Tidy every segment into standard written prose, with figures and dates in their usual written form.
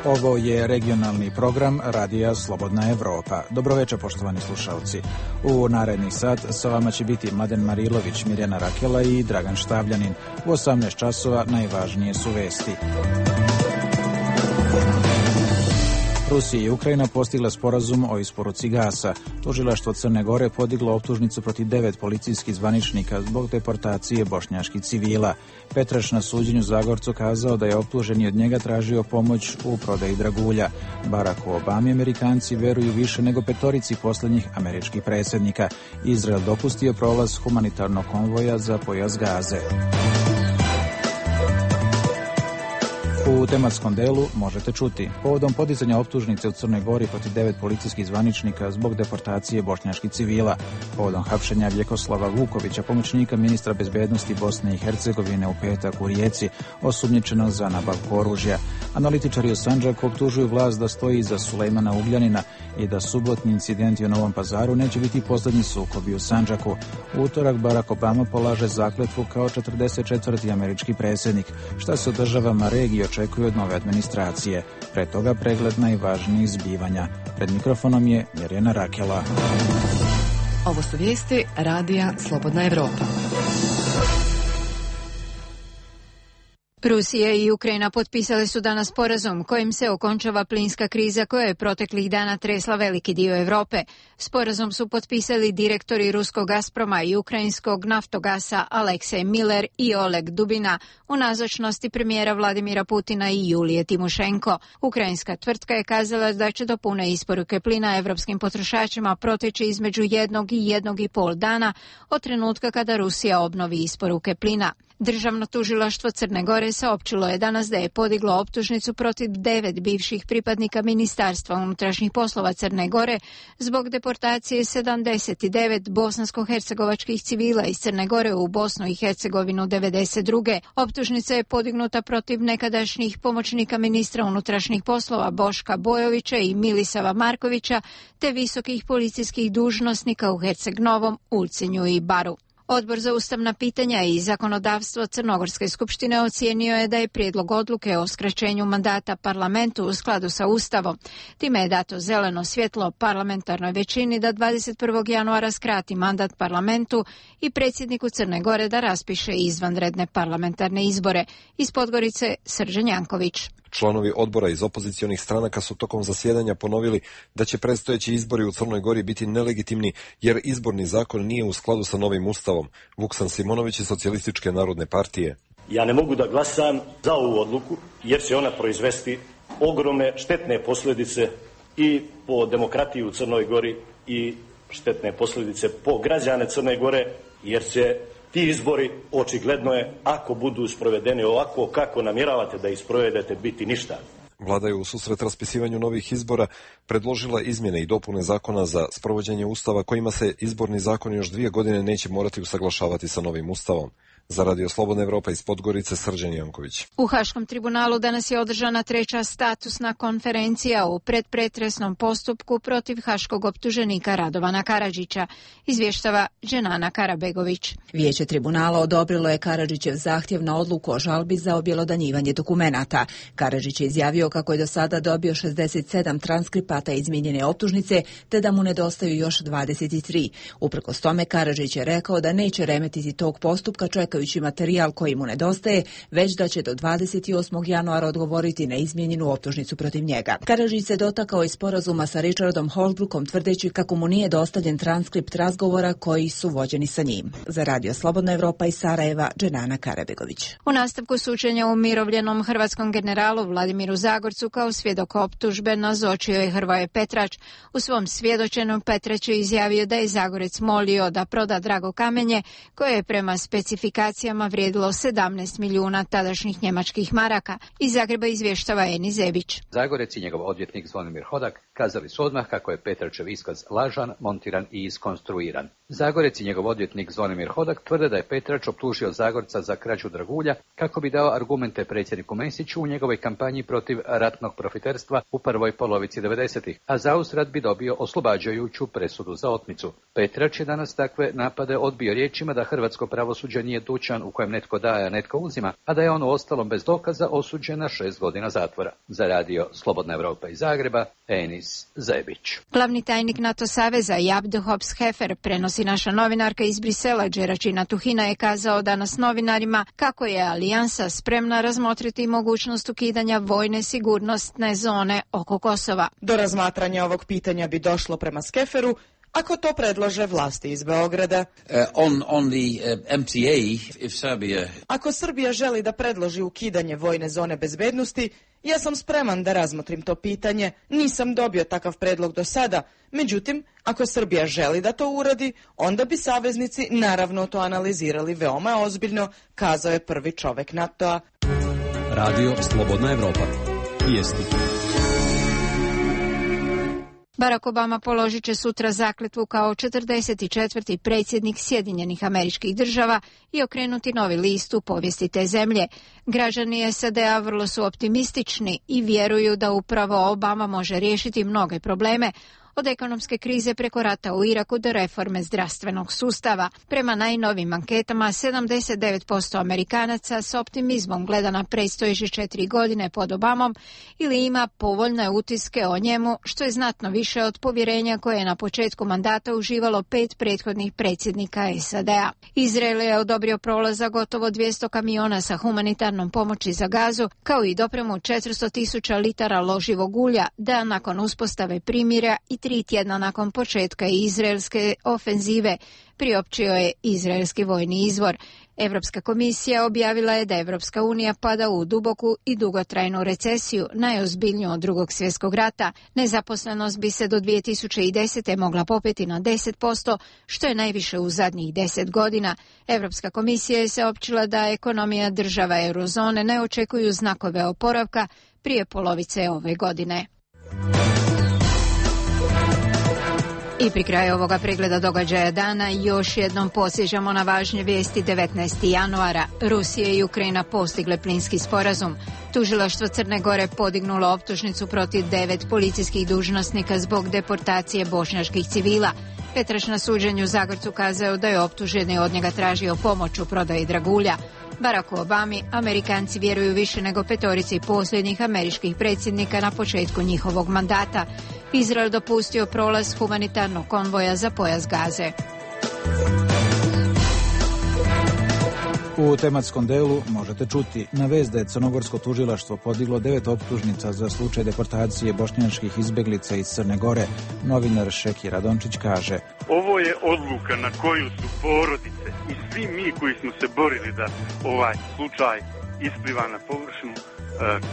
Ovo je regionalni program Radija Slobodna Evropa. Dobroveče, poštovani slušalci. U narednih sat sa vama će biti Mladen Marilović, Mirjana Rakela i Dragan Štavljanin. U 18 časova najvažnije su vesti. Rusija i Ukrajina postigle sporazum o isporuci gasa. Tužilaštvo Crne Gore podiglo optužnicu protiv 9 policijskih zvaničnika zbog deportacije bošnjaških civila. Petraš na suđenju Zagorcu kazao da je optuženi od njega tražio pomoć u prodaji dragulja. Baracku Obami Amerikanci veruju više nego petorici posljednjih američkih predsjednika. Izrael dopustio prolaz humanitarnog konvoja za pojas Gaze. U tematskom delu možete čuti. Povodom podizanja optužnice u Crnoj Gori protiv 9 policijskih zvaničnika zbog deportacije bošnjaških civila. Povodom hapšenja Vjekoslava Vukovića, pomoćnika ministra bezbednosti Bosne i Hercegovine u petak u Rijeci, osumnjičenog za nabavku oružja. Analitičari u Sandžaku optužuju vlast da stoji iza Sulejmana Ugljanina i da subotni incidenti u Novom Pazaru neće biti posljednji sukobi u Sandžaku. U utorak Barack Obama polaže zakletvu kao 44. američki predsjednik. Šta se u državama regije očekuje od nove administracije? Pre toga pregled najvažnijih zbivanja. Pred mikrofonom je Mirjana Rakela. Ovo su vijesti Radija Slobodna Evropa. Rusija i Ukrajina potpisali su danas sporazum kojim se okončava plinska kriza koja je proteklih dana tresla veliki dio Europe. Sporazum su potpisali direktori ruskog Gazproma i ukrajinskog Naftogasa Aleksej Miller i Oleg Dubina u nazočnosti premijera Vladimira Putina i Julije Timošenko. Ukrajinska tvrtka je kazala da će do pune isporuke plina evropskim potrošačima proteći između 1 i 1,5 dana od trenutka kada Rusija obnovi isporuke plina. Državno tužilaštvo Crne Gore saopćilo je danas da je podiglo optužnicu protiv 9 bivših pripadnika Ministarstva unutrašnjih poslova Crne Gore zbog deportacije 79 bosansko-hercegovačkih civila iz Crne Gore u Bosnu i Hercegovinu 1992. Optužnica je podignuta protiv nekadašnjih pomoćnika ministra unutrašnjih poslova Boška Bojovića i Milisava Markovića te visokih policijskih dužnosnika u Herceg Novom, Ulcinju i Baru. Odbor za ustavna pitanja i zakonodavstvo Crnogorske skupštine ocijenio je da je prijedlog odluke o skraćenju mandata parlamentu u skladu sa Ustavom. Time je dato zeleno svjetlo parlamentarnoj većini da 21. januara skrati mandat parlamentu i predsjedniku Crne Gore da raspiše izvanredne parlamentarne izbore. Iz Podgorice Srđan Janković. Članovi odbora iz opozicionih stranaka su tokom zasjedanja ponovili da će predstojeći izbori u Crnoj Gori biti nelegitimni jer izborni zakon nije u skladu sa novim ustavom. Vuksan Simonović iz Socijalističke narodne partije. Ja ne mogu da glasam za ovu odluku jer će ona proizvesti ogromne štetne posljedice i po demokratiju u Crnoj Gori i štetne posljedice po građane Crne Gore jer će ti izbori, očigledno je, ako budu sprovedeni ovako kako namjeravate da ih sprovedete, biti ništa. Vlada je u susret raspisivanju novih izbora predložila izmjene i dopune zakona za sprovođenje ustava kojima se izborni zakon još 2 godine neće morati usaglašavati sa novim ustavom. Za Radio Slobodna Evropa iz Podgorice Srđan Janković. U Haškom tribunalu danas je održana 3. statusna konferencija u predpretresnom postupku protiv haškog optuženika Radovana Karadžića, izvještava Dženana Karabegović. Vijeće tribunala odobrilo je Karadžićev zahtjev na odluku o žalbi za objelodanjivanje dokumenata. Karadžić je izjavio kako je do sada dobio 67 transkripata izmijenjene optužnice, te da mu nedostaju još 23. Uprkos tome, Karadžić je rekao da neće remetiti tog postupka čekajući materijal koji mu nedostaje, već da će do 28. januara odgovoriti na izmijenjenu optužnicu protiv njega. Karadžić se dotakao i sporazuma sa Richardom Holbrookom tvrdeći kako mu nije dostavljen transkript razgovora koji su vođeni sa njim. Za Radio Slobodna Evropa iz Sarajeva, Dženana Karabegović. U nastavku suđenja umirovljenom hrvatskom generalu Vladimiru Zagorcu kao svjedok optužbe nazočio je Hrvoje Petrač. U svom svjedočenju Petrač je izjavio da je Zagorec molio da proda drago kamenje koje je prema specifikacijama vrijedilo 17 milijuna tadašnjih njemačkih maraka. Iz Zagreba izvještava Eni Zebić. Zagorec i njegov odvjetnik Zvonimir Hodak Kazali su odmah kako je Petračev iskaz lažan, montiran i iskonstruiran. Zagorec i njegov odvjetnik Zvonimir Hodak tvrde da je Petrač optužio Zagorca za krađu dragulja kako bi dao argumente predsjedniku Mesiću u njegovoj kampanji protiv ratnog profiterstva u prvoj polovici 90-ih, a zauzvrat bi dobio oslobađajuću presudu za otmicu. Petrač je danas takve napade odbio riječima da hrvatsko pravosuđe nije dućan u kojem netko daje, a netko uzima, a da je on uostalom bez dokaza osuđen na 6 godina zatvora. Za radio Slobodna Europa iz Zagreba, Enis Zebić. Glavni tajnik NATO saveza Jabdo Hobbs-Hefer prenosi naša novinarka iz Brisela, Đeračina Tuhina, je kazao danas novinarima kako je alijansa spremna razmotriti mogućnost ukidanja vojne sigurnosne zone oko Kosova. Do razmatranja ovog pitanja bi došlo prema Skeferu ako to predlože vlasti iz Beograda. Ako Srbija želi da predloži ukidanje vojne zone bezbednosti, ja sam spreman da razmotrim to pitanje. Nisam dobio takav predlog do sada. Međutim, ako Srbija želi da to uradi, onda bi saveznici naravno to analizirali veoma ozbiljno, kazao je prvi čovek NATO-a. Radio Slobodna Evropa. Vijesti. Barack Obama položit će sutra zakletvu kao 44. predsjednik Sjedinjenih Američkih Država i okrenuti novi list u povijesti te zemlje. Građani SAD-a vrlo su optimistični i vjeruju da upravo Obama može riješiti mnoge probleme, od ekonomske krize preko rata u Iraku do reforme zdravstvenog sustava. Prema najnovim anketama, 79% Amerikanaca s optimizmom gleda na predstojeće 4 godine pod Obamom ili ima povoljne utiske o njemu, što je znatno više od povjerenja koje je na početku mandata uživalo 5 prethodnih predsjednika SAD-a. Izrael je odobrio prolaz za gotovo 200 kamiona sa humanitarnom pomoći za Gazu, kao i dopremu 400.000 litara loživog ulja, da nakon uspostave primirja i 3 tjedna nakon početka izraelske ofenzive, priopćio je izraelski vojni izvor. Europska komisija objavila je da Europska unija pada u duboku i dugotrajnu recesiju, najozbiljniju od Drugog svjetskog rata. Nezaposlenost bi se do 2010. mogla popeti na 10%, što je najviše u zadnjih 10 godina. Europska komisija je saopćila da ekonomija država eurozone ne očekuju znakove oporavka prije polovice ove godine. I pri kraju ovoga pregleda događaja dana još jednom posjećamo na važnje vijesti. 19. januara Rusija i Ukrajina postigle plinski sporazum. Tužilaštvo Crne Gore podignulo optužnicu protiv 9 policijskih dužnosnika zbog deportacije bošnjačkih civila. Petrač na suđenju Zagorcu kazao da je optuženi od njega tražio pomoć u prodaji dragulja. Baracku Obami Amerikanci vjeruju više nego 5 posljednjih američkih predsjednika na početku njihovog mandata. Izrael dopustio prolaz humanitarnog konvoja za pojas Gaze. U tematskom delu možete čuti na vest da je crnogorsko tužilaštvo podiglo 9 optužnica za slučaj deportacije bošnjačkih izbeglica iz Crne Gore. Novinar Šeki Radončić kaže: ovo je odluka na koju su porodice i svi mi koji smo se borili da ovaj slučaj ispliva na površinu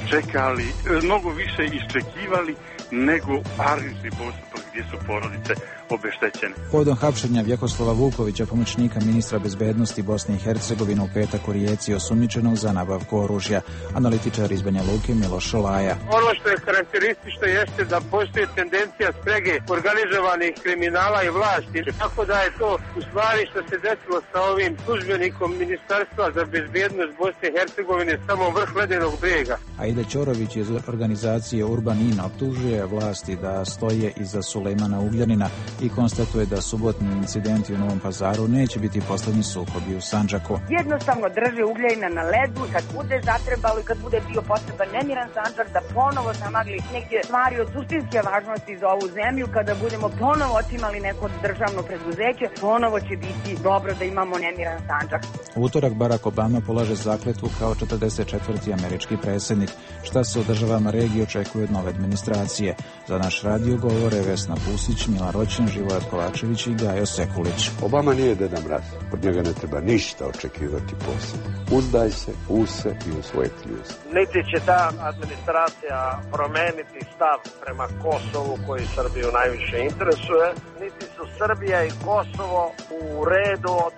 čekali, mnogo više iščekivali nego parnični postupak gdje su porodice obeštećene. Povodom hapšenja Vjekoslava Vukovića, pomoćnika ministra bezbednosti Bosne i Hercegovine, u petak u Rijeci osumnjičenog za nabavku oružja. Analitičar iz Banja Luke Miloš Šolaja. Ono što je karakteristično jeste da postoji tendencija sprege organizovanih kriminala i vlasti. Tako da je to u stvari što se desilo sa ovim službenikom Ministarstva za bezbednost Bosne i Hercegovine samo vrh ledenog brega. Aida Ćorović iz organizacije Urbanin optužuje vlasti da stoje iza Sulejmana Ugljanina i konstatuje da subotni incidenti u Novom Pazaru neće biti posljednji sukobi u Sandžaku. Jednostavno drže Ugljajina na ledu, kad bude zatrebalo i kad bude bio potreban nemiran Sandžak, da ponovo zamagli neke stvari od suštinske važnosti za ovu zemlju, kada budemo ponovo otimali neko državno preduzeće, ponovo će biti dobro da imamo nemiran Sandžak. U utorak Barack Obama polaže zakletvu kao 44. američki predsjednik. Šta se u državama regije očekuje od nove administracije? Za naš radio govore Vesna Pusić, Mila Roćin, Živojat Kovačević i Gajo Sekulić. Obama nije Deda Mraz. Od njega ne treba ništa očekivati posebno. Uzdaj se u se i u svoje kljuze. Niti će ta administracija promeniti stav prema Kosovu koji Srbiju najviše interesuje, niti su Srbija i Kosovo u redu od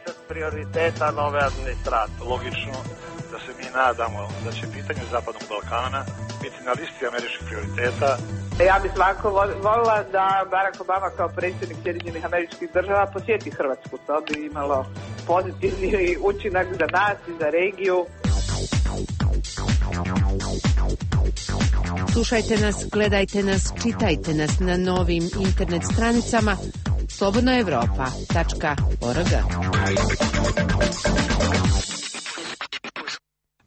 20 prioriteta nove administracije. Logično da se mi nadamo da će pitanje Zapadnog Balkana biti na listi američkih prioriteta. Ja bih svakako volila da Barack Obama kao predsjednik Sjedinjenih Američkih Država posjeti Hrvatsku. To bi imalo pozitivni učinak za nas i za regiju. Slušajte nas, gledajte nas, čitajte nas na novim internet stranicama slobodnaevropa.org.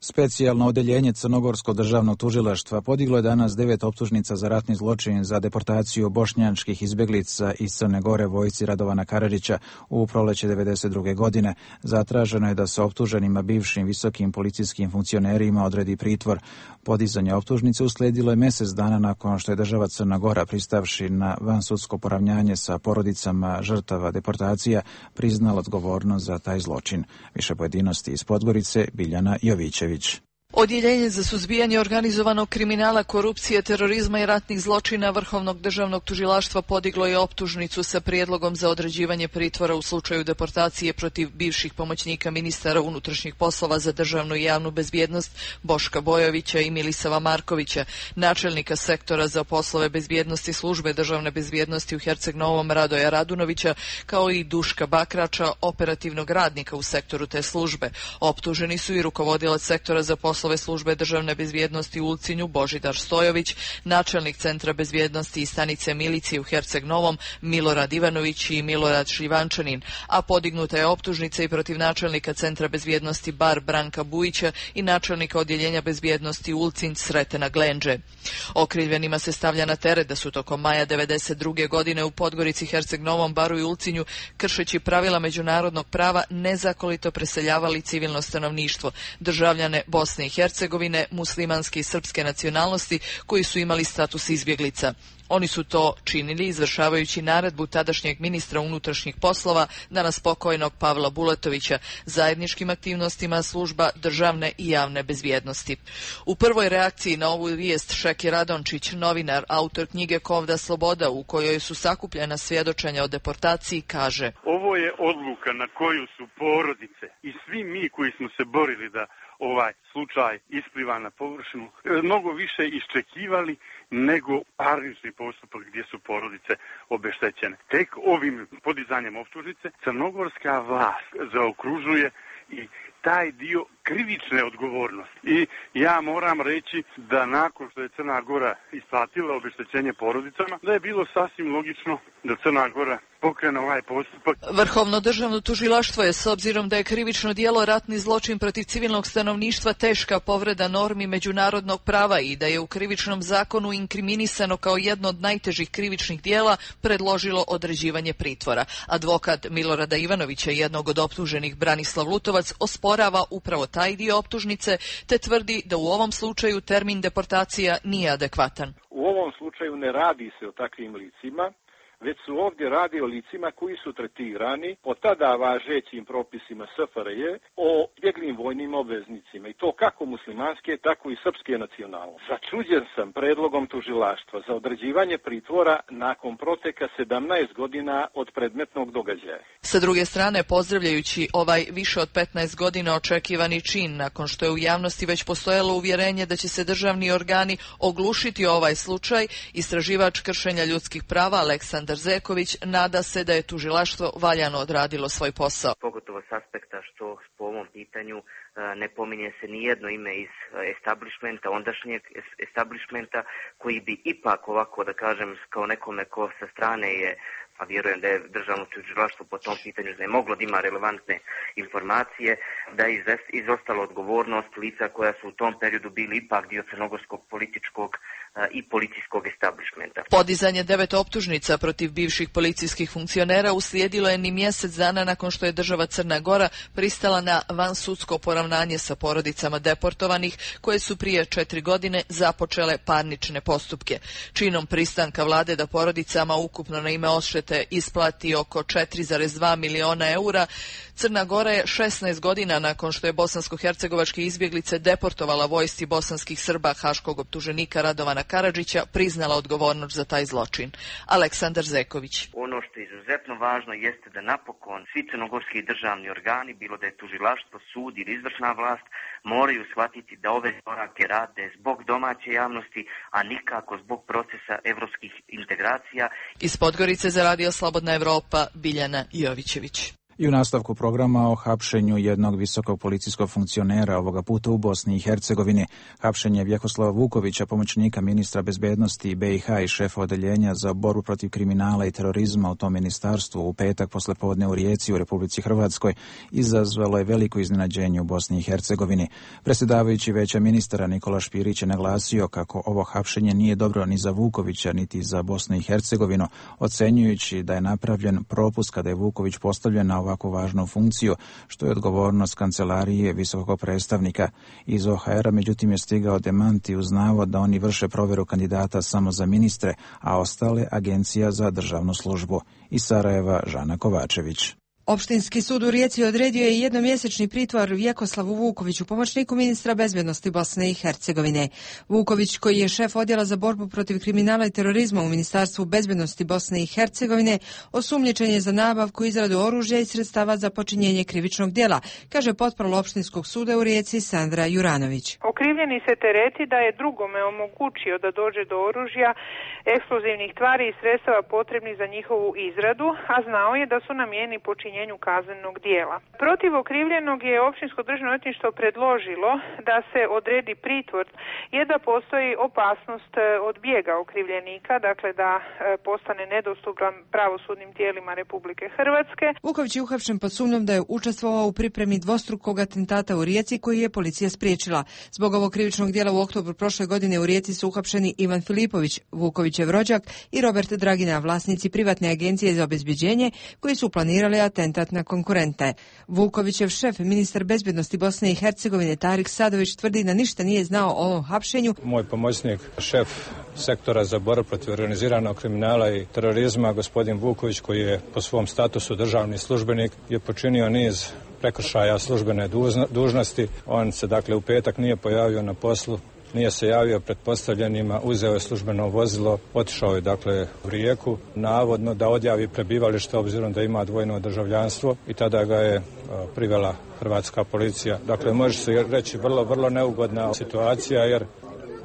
Specijalno odeljenje Crnogorskog državnog tužilaštva podiglo je danas 9 optužnica za ratni zločin za deportaciju bošnjačkih izbjeglica iz Crne Gore vojsci Radovana Karadžića u proleće 1992. godine. Zatraženo je da se optuženima bivšim visokim policijskim funkcionerima odredi pritvor. Podizanje optužnice uslijedilo je mjesec dana nakon što je država Crna Gora, pristavši na vansudsko poravnjanje sa porodicama žrtava deportacija, priznala odgovornost za taj zločin. Više pojedinosti iz Podgorice, Biljana Jovićević. Odjeljenje za suzbijanje organizovanog kriminala, korupcije, terorizma i ratnih zločina Vrhovnog državnog tužilaštva podiglo je optužnicu sa prijedlogom za određivanje pritvora u slučaju deportacije protiv bivših pomoćnika ministara unutrašnjih poslova za državnu i javnu bezbjednost Boška Bojovića i Milisava Markovića, načelnika sektora za poslove bezbjednosti službe državne bezbjednosti u Herceg Novom Radoja Radunovića, kao i Duška Bakrača, operativnog radnika u sektoru te službe. Optuženi su i rukovodilac sektora za poslove službe državne bezbjednosti u Ulcinju Božidar Stojović, načelnik centra bezbjednosti i stanice milicije u Herceg Novom Milorad Ivanović i Milorad Šljivančanin, a podignuta je optužnica i protiv načelnika centra bezbjednosti Bar Branka Bujića i načelnika odjeljenja bezbjednosti Ulcinj Sretena Glenđe. Okrivljenima se stavlja na teret da su tokom maja 1992. godine u Podgorici, Herceg Novom Baru i Ulcinju, kršeći pravila međunarodnog prava, nezakonito preseljavali civilno stanovništvo, državljane Bosne i Hercegovine, muslimanske i srpske nacionalnosti koji su imali status izbjeglica. Oni su to činili izvršavajući naredbu tadašnjeg ministra unutrašnjih poslova, danas pokojnog Pavla Bulatovića, zajedničkim aktivnostima služba državne i javne bezbjednosti. U prvoj reakciji na ovu vijest Šeki Radončić, novinar, autor knjige Kovda sloboda, u kojoj su sakupljena svjedočenja o deportaciji, kaže: Ovo je odluka na koju su porodice i svi mi koji smo se borili da ovaj slučaj ispliva na površinu mnogo više iščekivali nego parnični postupak gdje su porodice obeštećene. Tek ovim podizanjem optužnice crnogorska vlast zaokružuje i taj dio krivične odgovornosti. I ja moram reći da nakon što je Crna Gora isplatila obeštećenje porodicama, da je bilo sasvim logično da Crna Gora pokrene ovaj postupak. Vrhovno državno tužilaštvo je, s obzirom da je krivično djelo ratni zločin protiv civilnog stanovništva teška povreda normi međunarodnog prava i da je u krivičnom zakonu inkriminisano kao jedno od najtežih krivičnih djela, predložilo određivanje pritvora. Advokat Milorada Ivanovića, jednog od optuženih, Branislav Lutovac, osporava upravo taj dio optužnice te tvrdi da u ovom slučaju termin deportacija nije adekvatan. U ovom slučaju ne radi se o takvim licima, već su ovdje radi o licima koji su tretirani po tada važećim propisima SFRJ o bjeglim vojnim obveznicima, i to kako muslimanske, tako i srpske nacionalnosti. Začuđen sam predlogom tužilaštva za određivanje pritvora nakon proteka 17 godina od predmetnog događaja. Sa druge strane, pozdravljajući ovaj više od 15 godina očekivani čin, nakon što je u javnosti već postojalo uvjerenje da će se državni organi oglušiti ovaj slučaj, istraživač kršenja ljudskih prava Aleksandar Zeković nada se da je tužilaštvo valjano odradilo svoj posao. Pogotovo s aspekta što po ovom pitanju ne pominje se ni jedno ime iz establishmenta, ondašnjeg establishmenta, koji bi ipak ovako, da kažem, kao nekome ko sa strane je, a vjerujem da je državno tužilaštvo po tom pitanju ne moglo da ima relevantne informacije, da je izostala odgovornost lica koja su u tom periodu bili ipak dio crnogorskog političkog i policijskog establishmenta. Podizanje 9 optužnica protiv bivših policijskih funkcionera uslijedilo je ni mjesec dana nakon što je država Crna Gora pristala na vansudsko poravnanje sa porodicama deportovanih koje su prije 4 godine započele parnične postupke. Činom pristanka vlade da porodicama ukupno na ime odštete isplati oko 4,2 miliona eura, Crna Gora je 16 godina nakon što je bosansko-hercegovačke izbjeglice deportovala vojsci bosanskih Srba haškog optuženika Radovana Radovana Karadžića priznala odgovornost za taj zločin. Aleksandar Zeković. Ono što je izuzetno važno jeste da napokon svi crnogorski državni organi, bilo da je tužilaštvo, sud ili izvršna vlast, moraju shvatiti da ove korake rade zbog domaće javnosti, a nikako zbog procesa evropskih integracija. Iz Podgorice za Radio Slobodna Evropa, Biljana Jovićević. I u nastavku programa o hapšenju jednog visokog policijskog funkcionera, ovoga puta u Bosni i Hercegovini. Hapšenje Vjekoslava Vukovića, pomoćnika ministra bezbednosti BiH i šefa odeljenja za borbu protiv kriminala i terorizma u tom ministarstvu u petak poslepodne u Rijeci u Republici Hrvatskoj, izazvalo je veliko iznenađenje u Bosni i Hercegovini. Predsjedavajući Vijeća ministara Nikola Špirić je naglasio kako ovo hapšenje nije dobro ni za Vukovića niti za Bosnu i Hercegovinu, ocenjujući da je napravljen propust kada je Vuković postavljen na ovako važnu funkciju, što je odgovornost kancelarije visokog predstavnika. Iz OHR-a međutim je stigao demanti uz navod da oni vrše provjeru kandidata samo za ministre, a ostale Agencija za državnu službu. Iz Sarajeva, Žana Kovačević. Opštinski sud u Rijeci odredio je jednomjesečni pritvor Vjekoslavu Vukoviću, pomoćniku ministra bezbednosti Bosne i Hercegovine. Vuković, koji je šef odjela za borbu protiv kriminala i terorizma u Ministarstvu bezbednosti Bosne i Hercegovine, osumnjičen je za nabavku i izradu oružja i sredstava za počinjenje krivičnog djela, kaže potparol Opštinskog suda u Rijeci Sandra Juranović. Okrivljeni se tereti da je drugome omogućio da dođe do oružja, eksplozivnih tvari i sredstava potrebnih za njihovu izradu, a znao je da su namijenjeni počinjenju kaznenog dijela. Protiv okrivljenog je Općinsko državno odvjetništvo predložilo da se odredi pritvor jer da postoji opasnost od bijega okrivljenika, dakle da postane nedostupan pravosudnim tijelima Republike Hrvatske. Vuković je uhapšen pod sumnjom da je učestvovao u pripremi dvostrukog atentata u Rijeci koji je policija spriječila. Zbog ovog krivičnog dijela u oktobru prošle godine u Rijeci su uhapšeni Ivan Filipović, Vukovićev rođak, i Robert Dragina, vlasnici privatne agencije za obezbeđenje, koji su planirali atentat na konkurente. Vukovićev šef, ministar bezbednosti Bosne i Hercegovine Tarik Sadović, tvrdi da ništa nije znao o ovom hapšenju. Moj pomoćnik, šef sektora za borbu protiv organiziranog kriminala i terorizma, gospodin Vuković, koji je po svom statusu državni službenik, je počinio niz prekršaja službene dužnosti. On se dakle u petak nije pojavio na poslu, nije se javio pretpostavljenima, uzeo je službeno vozilo, otišao je dakle u Rijeku, navodno da odjavi prebivalište obzirom da ima dvojno državljanstvo, i tada ga je privela hrvatska policija. Dakle, može se reći vrlo neugodna situacija jer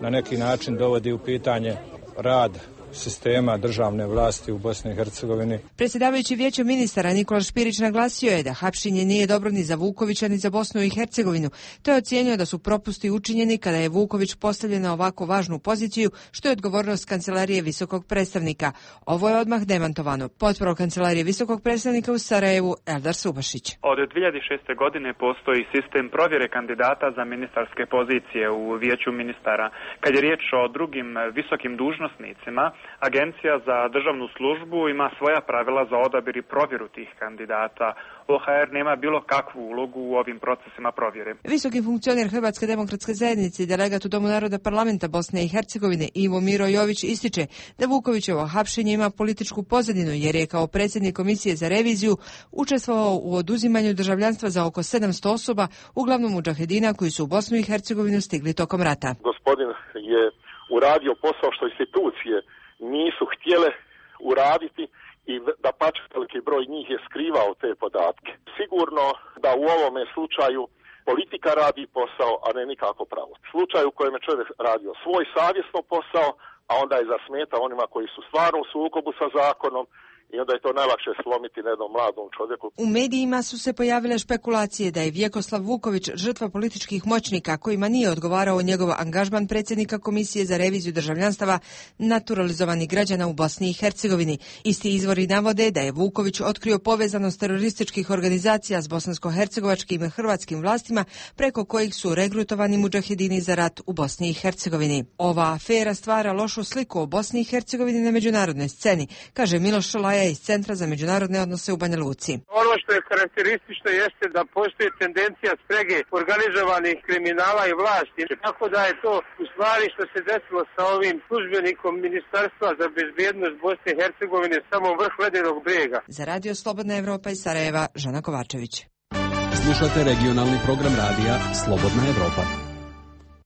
na neki način dovodi u pitanje rad sistema državne vlasti u Bosni i Hercegovini. Predsjedavajući Vijećem ministara Nikola Špirić naglasio je da hapšenje nije dobro ni za Vukovića ni za Bosnu i Hercegovinu. To je ocijenio da su propusti učinjeni kada je Vuković postavljen na ovako važnu poziciju, što je odgovornost kancelarije visokog predstavnika. Ovo je odmah demantovano. Potparol kancelarije visokog predstavnika u Sarajevu Eldar Subašić. Od 2006. godine postoji sistem provjere kandidata za ministarske pozicije u Vijeću ministara. Kad je riječ o drugim visokim dužnosnicima, Agencija za državnu službu ima svoja pravila za odabir i provjeru tih kandidata. OHR nema bilo kakvu ulogu u ovim procesima provjere. Visoki funkcioner Hrvatske demokratske zajednice i delegat u Domu naroda parlamenta Bosne i Hercegovine Ivo Miro Jović ističe da Vukovićevo hapšenje ima političku pozadinu jer je kao predsjednik komisije za reviziju učestvovao u oduzimanju državljanstva za oko 700 osoba, uglavnom mudžahedina koji su u Bosnu i Hercegovinu stigli tokom rata. Gospodin je uradio posao što institucije nisu htjele uraditi i da pač veliki broj njih je skrivao te podatke. Sigurno da u ovome slučaju politika radi posao, a ne nikako pravo. Slučaj u kojem je čovjek radio svoj savjesno posao, a onda je zasmetao onima koji su stvarno u sukobu sa zakonom, i onda je to najlakše slomiti na jednom mladom čovjeku. U medijima su se pojavile špekulacije da je Vjekoslav Vuković žrtva političkih moćnika kojima nije odgovarao njegov angažman predsjednika Komisije za reviziju državljanstava naturalizovanih građana u Bosni i Hercegovini. Isti izvori navode da je Vuković otkrio povezanost terorističkih organizacija s bosansko-hercegovačkim i hrvatskim vlastima preko kojih su regrutovani mudžahedini za rat u Bosni i Hercegovini. Ova afera stvara lošu sliku o Bosni i Hercegovini na međunarodnoj sceni, kaže Miloš Šolaja iz Centra za međunarodne odnose u Banja Luci. Ono što je karakteristično jeste da postoji tendencija sprege organizovanih kriminala i vlasti. Tako da je to u stvari što se desilo sa ovim službenikom Ministarstva za bezbednost Bosne i Hercegovine samo vrh ledenog brega. Za Radio Slobodna Evropa iz Sarajeva, Žana Kovačević. Slušate regionalni program radija Slobodna Evropa.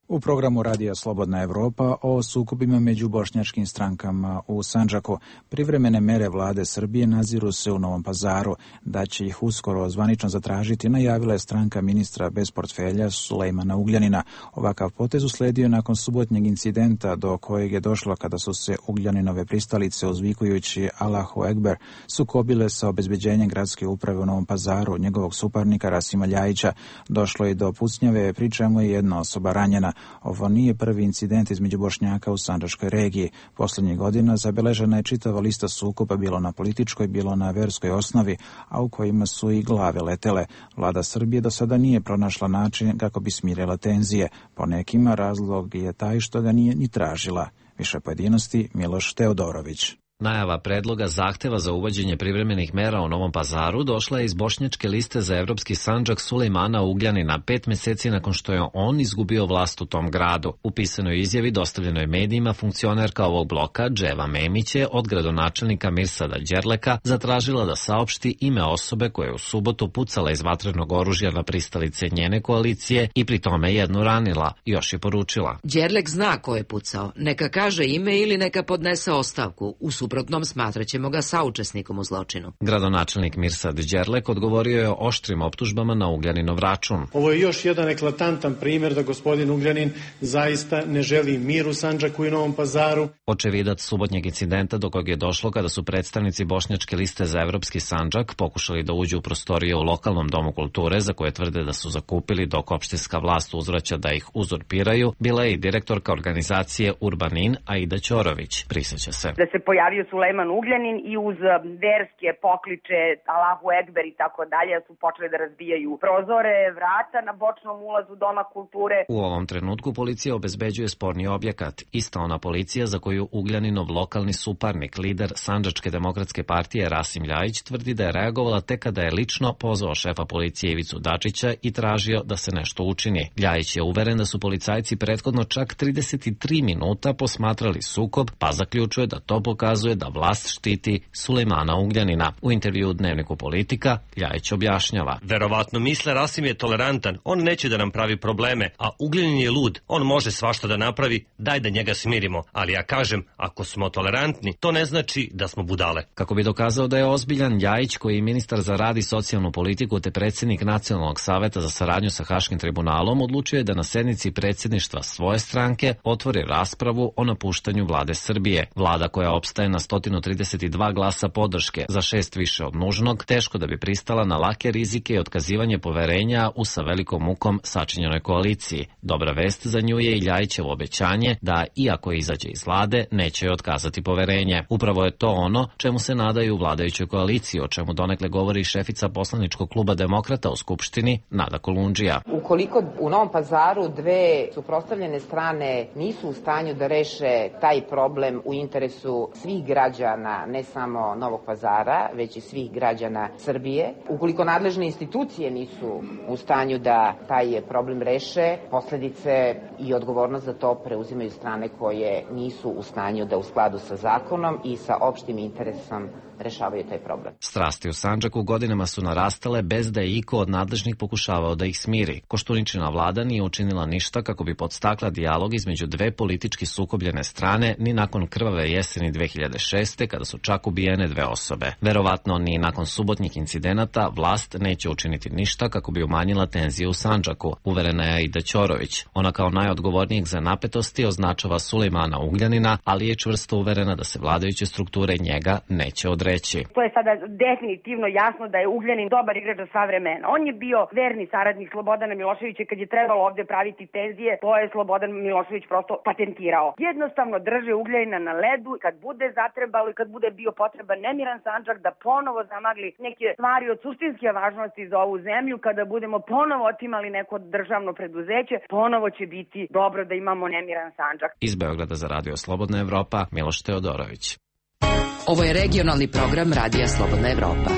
U programu Radija Slobodna Evropa o sukobima među bošnjačkim strankama u Sandžaku. Privremene mere vlade Srbije naziru se u Novom Pazaru. Da će ih uskoro zvanično zatražiti, najavila je stranka ministra bez portfelja Sulejmana Ugljanina. Ovakav potez usledio nakon subotnjeg incidenta do kojeg je došlo kada su se Ugljaninove pristalice uzvikujući Allahu Ekber sukobile sa obezbeđenjem gradske uprave u Novom Pazaru, njegovog suparnika Rasima Ljajića. Došlo je do pucnjave, pri čemu je jedna osoba ranjena. Ovo nije prvi incident između Bošnjaka u Sandžačkoj regiji. Poslednjih godina zabeležena je čitava lista sukoba, bilo na političkoj, bilo na verskoj osnovi, a u kojima su i glave letele. Vlada Srbije do sada nije pronašla način kako bi smirila tenzije. Po nekima razlog je taj što ga nije ni tražila. Više pojedinosti Miloš Teodorović. Najava predloga zahteva za uvođenje privremenih mera u Novom Pazaru došla je iz bošnjačke liste za evropski Sandžak Sulejmana Ugljanina 5 meseci nakon što je on izgubio vlast u tom gradu. U pisanoj izjavi dostavljenoj medijima funkcionerka ovog bloka Dževa Memić je od gradonačelnika Mirsada Đerleka zatražila da saopšti ime osobe koja je u subotu pucala iz vatrenog oružja na pristalice njene koalicije i pri tome jednu ranila. Još je poručila: Đerlek zna ko je pucao. Neka kaže ime ili neka podnese ostavku. U suprotnom smatraćemo ga saučesnikom u zločinu. Gradonačelnik Mirsad Đerlek odgovorio je oštrim optužbama na Ugljaninov račun. Ovo je još jedan eklatantan primjer da gospodin Ugljanin zaista ne želi mir u Sandžaku i Novom Pazaru. Očevidac subotnjeg incidenta do kojeg je došlo kada su predstavnici bošnjačke liste za evropski Sandžak pokušali da uđu u prostorije u lokalnom domu kulture za koje tvrde da su zakupili dok opštinska vlast uzvraća da ih uzurpiraju, bila je i direktorka organizacije Urbanin Aida Ćorović. Priseća se da se pojavio Sulejman Ugljanin i uz verske pokliče Allahu Ekber i tako dalje su počeli da razbijaju prozore, vrata na bočnom ulazu Doma kulture. U ovom trenutku policija obezbeđuje sporni objekat. Ista ona policija za koju Ugljaninov lokalni suparnik, lider Sandžačke demokratske partije Rasim Ljajić tvrdi da je reagovala tek kada je lično pozvao šefa policije Ivicu Dačića i tražio da se nešto učini. Ljajić je uveren da su policajci prethodno čak 33 minuta posmatrali sukob, pa zaključuje da to pokazuje da vlast štiti Sulejmana Ugljanina. U intervju u Dnevniku Politika Ljajić objašnjava: verovatno misle Rasim je tolerantan, on neće da nam pravi probleme, a Ugljanin je lud, on može svašta da napravi, daj da njega smirimo, ali ja kažem, ako smo tolerantni, to ne znači da smo budale. Kako bi dokazao da je ozbiljan, Ljajić, koji je ministar za rad i socijalnu politiku te predsjednik Nacionalnog saveta za saradnju sa Haškim tribunalom, odlučio je da na sednici predsjedništva svoje stranke otvori raspravu o napuštanju vlade Srbije. Vlada koja opstaje na 132 glasa podrške, za 6 više od nužnog, teško da bi pristala na lake rizike i otkazivanje poverenja u sa velikom mukom sačinjenoj koaliciji. Dobra vest za nju je i Ljajićevo obećanje da, iako izađe iz vlade, neće joj otkazati poverenje. Upravo je to ono čemu se nadaju u vladajućoj koaliciji, o čemu donekle govori šefica poslaničkog kluba Demokrata u Skupštini, Nada Kolundžija. Ukoliko u Novom Pazaru dve suprotstavljene strane nisu u stanju da reše taj problem u interesu svih građana, ne samo Novog Pazara, već i svih građana Srbije. Ukoliko nadležne institucije nisu u stanju da taj problem reše, posledice i odgovornost za to preuzimaju strane koje nisu u stanju da u skladu sa zakonom i sa opštim interesom rešavaju taj problem. Strasti u Sandžaku godinama su narastale bez da je iko od nadležnih pokušavao da ih smiri. Koštuničina vlada nije učinila ništa kako bi podstakla dijalog između dve politički sukobljene strane ni nakon krvave jeseni 2006. kada su čak ubijene dve osobe. Verovatno ni nakon subotnjih incidenata vlast neće učiniti ništa kako bi umanjila tenzije u Sandžaku, uverena je Aida Ćorović. Ona kao najodgovornijeg za napetosti označava Sulejmana Ugljanina, ali je čvrsto uverena da se vladajuće strukture njega neće odreći. To je sada definitivno jasno da je Ugljanin dobar igrač za sva vremena. On je bio verni saradnik Slobodana Miloševića kad je trebalo ovdje praviti tenzije, to je Slobodan Milošević prosto patentirao. Jednostavno drže Ugljanina na ledu, kad bude zatrebalo i kad bude bio potreban nemiran Sandžak da ponovo zamagli neke stvari od suštinske važnosti za ovu zemlju, kada budemo ponovo otimali neko državno preduzeće, ponovo će biti dobro da imamo nemiran Sandžak. Iz Beograda za Radio Slobodna Evropa, Miloš Teodorović. Ovo je regionalni program Radija Slobodna Evropa.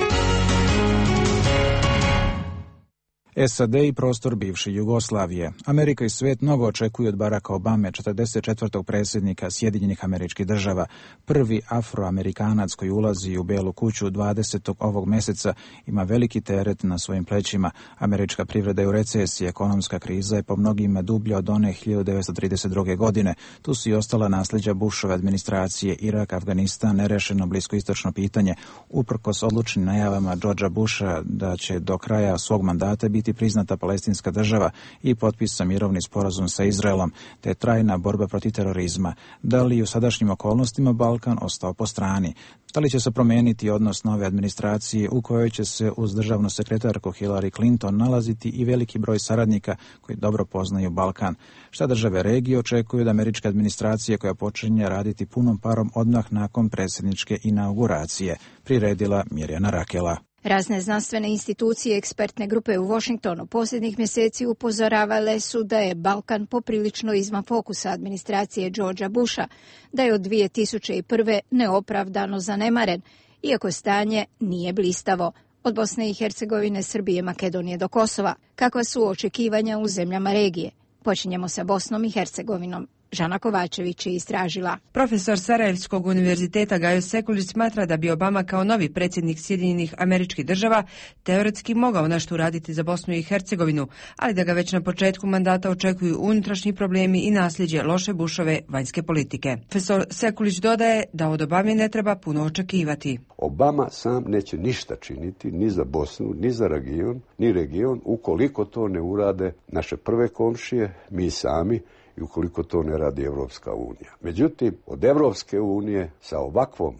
SAD i prostor bivše Jugoslavije. Amerika i svet mnogo očekuju od Baracka Obame, 44. predsjednika Sjedinjenih Američkih Država. Prvi afroamerikanac koji ulazi u Belu kuću 20. ovog mjeseca ima veliki teret na svojim plećima. Američka privreda je u recesiji, ekonomska kriza je po mnogima dublja od one 1932. godine. Tu su i ostala nasljeđa Bushove administracije, Irak, Afganistan, nerešeno bliskoistočno pitanje, uprkos odlučnim najavama Georgea Busha da će do kraja svog mandata biti priznata palestinska država i potpisan mirovni sporazum sa Izraelom, te trajna borba protiv terorizma. Da li u sadašnjim okolnostima Balkan ostao po strani? Da li će se promijeniti odnos nove administracije u kojoj će se uz državnu sekretarku Hillary Clinton nalaziti i veliki broj saradnika koji dobro poznaju Balkan? Šta države regije očekuju od američke administracije koja počinje raditi punom parom odmah nakon predsjedničke inauguracije? Priredila Mirjana Rakela. Razne znanstvene institucije i ekspertne grupe u Washingtonu posljednjih mjeseci upozoravale su da je Balkan poprilično izvan fokusa administracije Georgea Busha, da je od 2001. neopravdano zanemaren, iako stanje nije blistavo. Od Bosne i Hercegovine, Srbije, Makedonije do Kosova. Kakva su očekivanja u zemljama regije? Počinjemo sa Bosnom i Hercegovinom. Žana Kovačević je istražila. Profesor Sarajevskog univerziteta Gajo Sekulić smatra da bi Obama kao novi predsjednik Sjedinjenih Američkih Država teoretski mogao nešto uraditi za Bosnu i Hercegovinu, ali da ga već na početku mandata očekuju unutrašnji problemi i nasljeđe loše Bushove vanjske politike. Profesor Sekulić dodaje da od Obame ne treba puno očekivati. Obama sam neće ništa činiti ni za Bosnu, ni za region, ukoliko to ne urade naše prve komšije, mi sami, i ukoliko to ne radi Evropska unija. Međutim, od Evropske unije sa ovakvom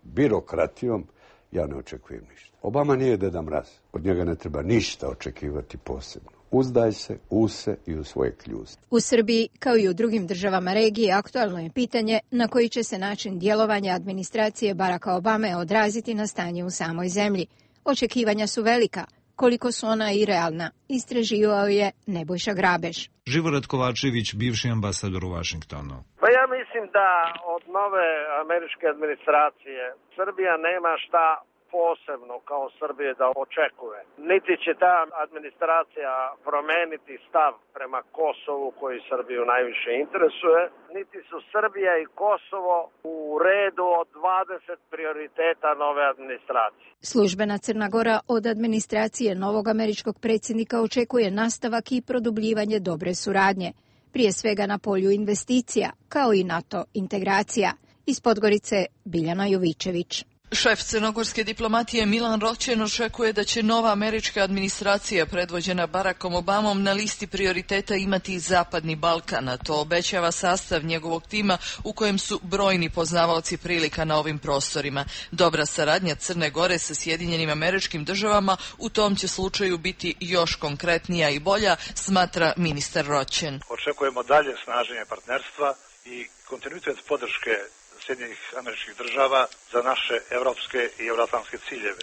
birokratijom ja ne očekujem ništa. Obama nije Deda Mraz. Od njega ne treba ništa očekivati posebno. Uzdaj se u se i u svoje kljuze. U Srbiji, kao i u drugim državama regije, aktualno je pitanje na koji će se način djelovanja administracije Baracka Obame odraziti na stanje u samoj zemlji. Očekivanja su velika. Koliko su ona i realna, istraživao je Nebojša Grabež. Živorad Kovačević, bivši ambasador u Vašingtonu. Pa ja mislim da od nove američke administracije Srbija nema šta posebno kao Srbije da očekuje. Niti će ta administracija promeniti stav prema Kosovu koji Srbiju najviše interesuje, niti su Srbija i Kosovo u redu od 20 prioriteta nove administracije. Službena Crna Gora od administracije novog američkog predsjednika očekuje nastavak i produbljivanje dobre suradnje, prije svega na polju investicija, kao i NATO integracija. Iz Podgorice Biljana Jovičević. Šef crnogorske diplomatije Milan Roćen očekuje da će nova američka administracija predvođena Barackom Obamom na listi prioriteta imati i Zapadni Balkan, a to obećava sastav njegovog tima u kojem su brojni poznavaoci prilika na ovim prostorima. Dobra saradnja Crne Gore sa Sjedinjenim Američkim Državama u tom će slučaju biti još konkretnija i bolja, smatra ministar Roćen. Očekujemo dalje snaženje partnerstva i kontinuitet podrške Sjedinjenih Američkih Država za naše evropske i euroatlantske ciljeve.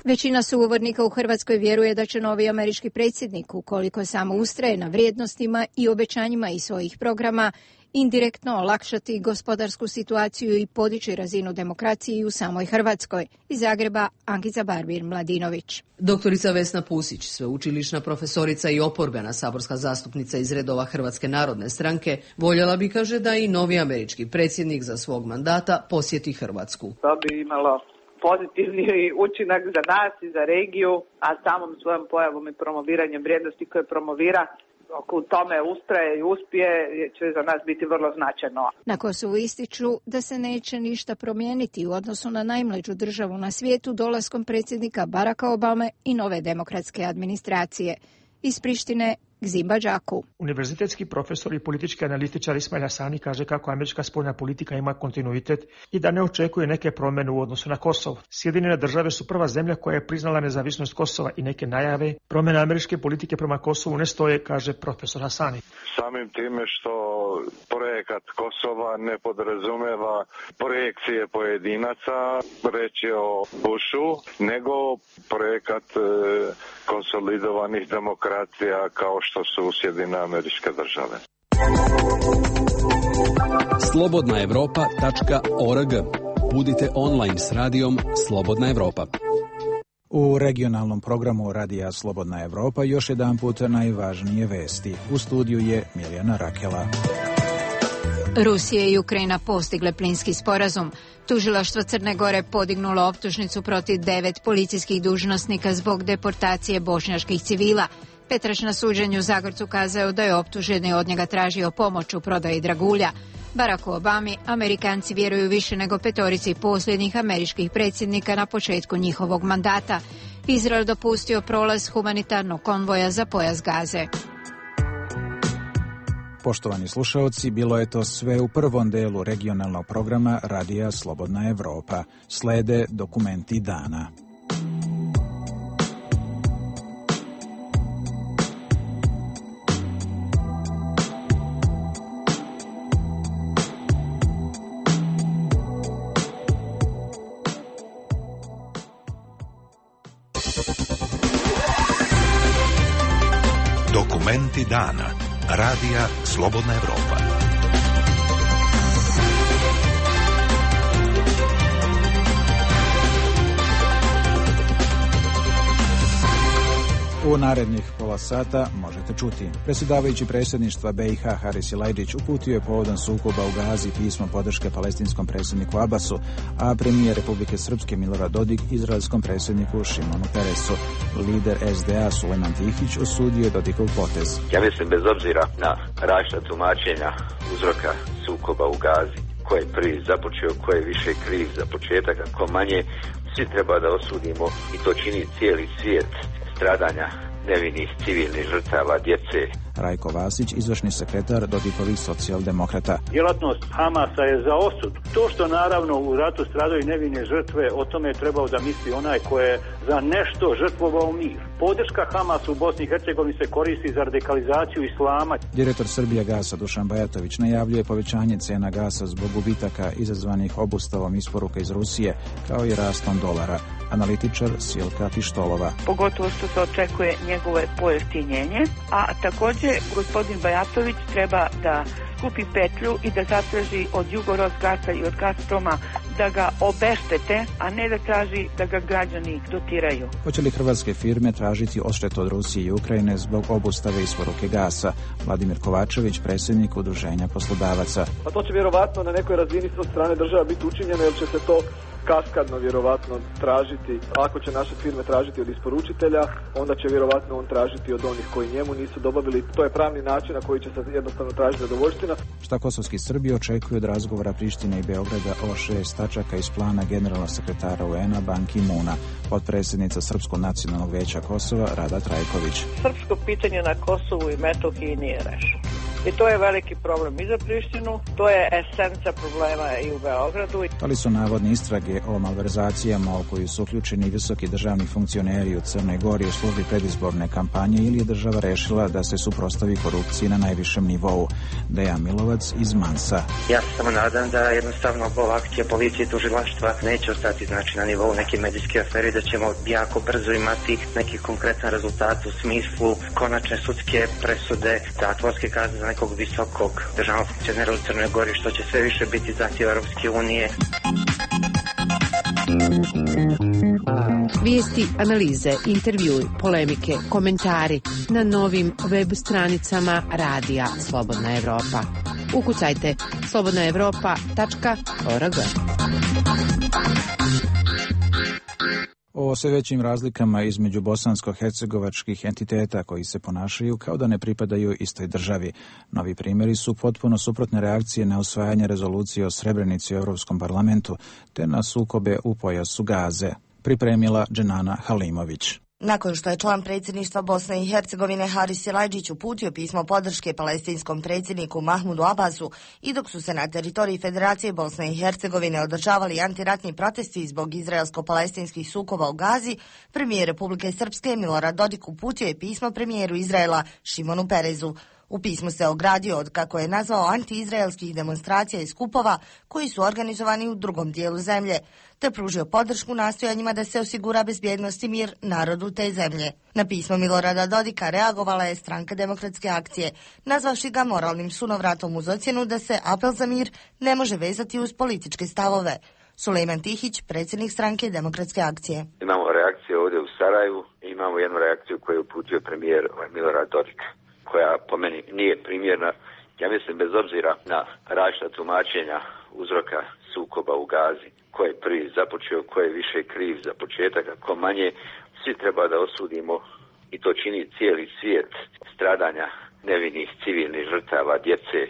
Većina sugovornika u Hrvatskoj vjeruje da će novi američki predsjednik, ukoliko samo ustraje na vrijednostima i obećanjima iz svojih programa, indirektno olakšati gospodarsku situaciju i podići razinu demokracije u samoj Hrvatskoj. Iz Zagreba, Ankica Barbir-Mladinović. Doktorica Vesna Pusić, sveučilišna profesorica i oporbena saborska zastupnica iz redova Hrvatske narodne stranke, voljela bi, kaže, da i novi američki predsjednik za svog mandata posjeti Hrvatsku. To bi imalo pozitivni učinak za nas i za regiju, a samom svojom pojavom i promoviranjem vrijednosti koje promovira, ako u tome ustraje i uspije, će za nas biti vrlo značajno. Na Kosovu ističu da se neće ništa promijeniti u odnosu na najmlađu državu na svijetu dolaskom predsjednika Baracka Obame i nove demokratske administracije. Iz Prištine, Gzimba Đaku. Univerzitetski profesor i politički analitičar Ismail Hasani kaže kako američka spoljna politika ima kontinuitet i da ne očekuje neke promjene u odnosu na Kosovo. Sjedinjene države su prva zemlja koja je priznala nezavisnost Kosova i neke najave promjene američke politike prema Kosovu ne stoje, kaže profesor Hasani. Samim time što projekat Kosova ne podrazumeva projekcije pojedinaca, reći o Bushu, nego projekat konsolidovanih demokracija kao što su Sjedinjene Američke Države. Slobodnaevropa.org. Budite online s radijom Slobodna Evropa. U regionalnom programu Radija Slobodna Evropa još jedan put najvažnije vesti. U studiju je Milijana Rakela. Rusija i Ukrajina postigle plinski sporazum. Tužilaštvo Crne Gore podignulo optužnicu protiv 9 policijskih dužnosnika zbog deportacije bošnjaških civila. Petrač na suđenju u Zagorcu kazao da je optuženi od njega tražio pomoć u prodaji dragulja. Baracku Obami Amerikanci vjeruju više nego 5 posljednjih američkih predsjednika na početku njihovog mandata. Izrael dopustio prolaz humanitarnog konvoja za pojas Gaze. Poštovani slušaoci, bilo je to sve u prvom delu regionalnog programa Radija Slobodna Evropa. Slede dokumenti dana. Dokumenti dana. Radija Slobodna Evropa. U narednih pola sata možete čuti. Predsjedavajući predsjedništva BiH Haris Silajdžić uputio je povodom sukoba u Gazi pismo podrške palestinskom predsjedniku Abbasu, a premijer Republike Srpske Milorad Dodik izraelskom predsjedniku Šimonu Peresu. Lider SDA Sulejman Tihić osudio je Dodikov potez. Ja mislim, bez obzira na različita tumačenja uzroka sukoba u Gazi, ko je prvi započeo, ko je više kriv za početak, a ko manje, svi treba da osudimo i to čini cijeli svijet stradanja nevinih civilnih žrtava, djece. Rajko Vasić, izvršni sekretar Dodikovih socijaldemokrata. Djelatnost Hamasa je za osud. To što naravno u ratu stradaju nevine žrtve, o tome je trebao da misli onaj ko je za nešto žrtvovao mir. Podrška Hamasu u Bosni i Hercegovini se koristi za radikalizaciju islama. Direktor Srbijagasa Dušan Bajatović najavljuje povećanje cena gasa zbog gubitaka izazvanih obustavom isporuka iz Rusije, kao i rastom dolara. Analitičar Silka Pištolova. Pogotovo što se očekuje njegovo pojeftinjenje, a također gospodin Bajatović treba da skupi petlju i da zatraži od Jugorosgasa i od Gazproma da ga obeštete, a ne da traži da ga građani dotiraju. Hoće li hrvatske firme tražiti odštetu od Rusije i Ukrajine zbog obustave isporuke gasa? Vladimir Kovačević, predsjednik Udruženja poslodavaca. Pa to će vjerovatno na nekoj razini od strane država biti učinjeno, jer će se to kaskadno vjerovatno tražiti. Ako će naše firme tražiti od isporučitelja, onda će vjerovatno on tražiti od onih koji njemu nisu dobavili. To je pravni način na koji će se jednostavno tražiti zadovoljština. Šta kosovski Srbi očekuju od razgovora Prištine i Beograda o 6 tačaka iz plana generalnog sekretara UN-a Ban Ki-moona. Potpredsjednica Srpskog nacionalnog vijeća Kosova Rada Trajković. Srpsko pitanje na Kosovu i Metohiji nije rešeno. I to je veliki problem i za Prištinu, to je esenca problema i u Beogradu. Ali su navodne istrage o malverzacijama u koju su uključeni visoki državni funkcioneri u Crnoj Gori u službi predizborne kampanje, ili je država rešila da se suprotstavi korupciji na najvišem nivou. Dejan Milovac iz Mansa. Ja se samo nadam da jednostavno ova akcija policije i tužilaštva neće ostati na nivou neke medijske afere, da ćemo jako brzo imati neki konkretan rezultat u smislu konačne sudske presude, zatvorske kazne za nekog visokog državnog funkcionera u Crnoj Gori, što će sve više biti zahtjev Europske unije. Vijesti, analize, intervjui, polemike, komentari na novim web stranicama Radija Slobodna Evropa. Ukucajte slobodnaevropa.org. O sve većim razlikama između bosansko-hercegovačkih entiteta koji se ponašaju kao da ne pripadaju istoj državi. Novi primjeri su potpuno suprotne reakcije na usvajanje rezolucije o Srebrenici u Europskom parlamentu te na sukobe u pojasu Gaze. Pripremila Dženana Halimović. Nakon što je član predsjedništva Bosne i Hercegovine Haris Silajdžić uputio pismo podrške palestinskom predsjedniku Mahmudu Abbasu i dok su se na teritoriji Federacije Bosne i Hercegovine održavali antiratni protesti zbog izraelsko-palestinskih sukoba u Gazi, premijer Republike Srpske Milorad Dodik uputio je pismo premijeru Izraela Šimonu Perezu. U pismu se ogradio od, kako je nazvao, anti-izraelskih demonstracija i skupova koji su organizovani u drugom dijelu zemlje, te pružio podršku nastojanjima da se osigura bezbjednost i mir narodu te zemlje. Na pismo Milorada Dodika reagovala je Stranka demokratske akcije, nazvavši ga moralnim sunovratom uz ocjenu da se apel za mir ne može vezati uz političke stavove. Sulejman Tihić, predsjednik Stranke demokratske akcije. Imamo reakcije ovdje u Sarajevu i imamo jednu reakciju koju je uputio premijer Milorad Dodik, koja po meni nije primjerna. Ja mislim, bez obzira na različita tumačenja uzroka sukoba u Gazi, ko je prvi započeo, ko je više kriv za početak, a ko manje, svi treba da osudimo, i to čini cijeli svijet, stradanja nevinih civilnih žrtava, djece,